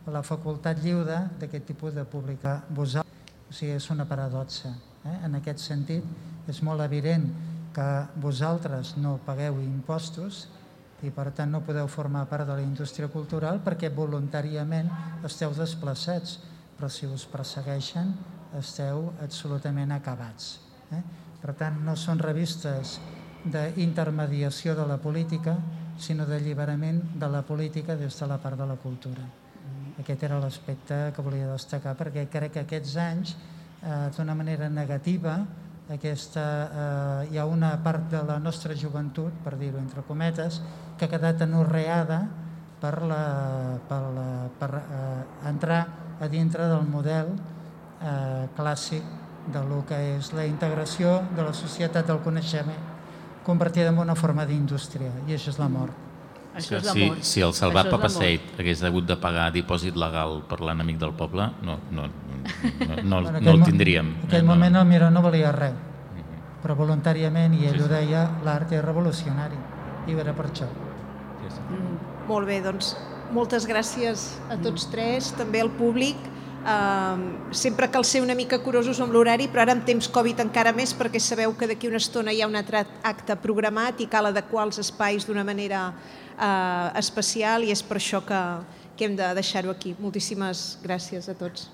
a la facultat lliure d'aquest tipus de publicar vosaltres. O sigui, és una paradoxa. Eh? En aquest sentit, és molt evident que vosaltres no pagueu impostos i per tant no podeu formar part de la indústria cultural perquè voluntàriament esteu desplaçats, però si us persegueixen esteu absolutament acabats. Eh? Per tant, no són revistes d'intermediació de la política, sinó d'alliberament de la política des de la part de la cultura. Aquest era l'aspecte que volia destacar, perquè crec que aquests anys, eh, d'una manera negativa, aquesta, eh, hi ha una part de la nostra joventut, per dir-ho entre cometes, que ha quedat anorreada per, la, per, la, per eh, entrar a dintre del model eh, clàssic de lo que és la integració de la societat del coneixement convertida en una forma d'indústria, i això és la mort. Això és la si, mort. si el Salvat Això és la Papaseit hagués hagut de pagar dipòsit legal per l'enemic del poble, no, no, no, no, Bueno, no el tindríem. En aquell eh, moment no. el Miró no valia res, però voluntàriament, i ell ho deia, l'art és revolucionari, i era per això. Sí, sí. Mm, molt bé, doncs moltes gràcies a tots tres, també al públic. Uh, sempre cal ser una mica curosos amb l'horari, però ara en temps Covid encara més, perquè sabeu que d'aquí una estona hi ha un altre acte programat i cal adequar els espais d'una manera uh, especial, i és per això que, que hem de deixar-ho aquí. Moltíssimes gràcies a tots.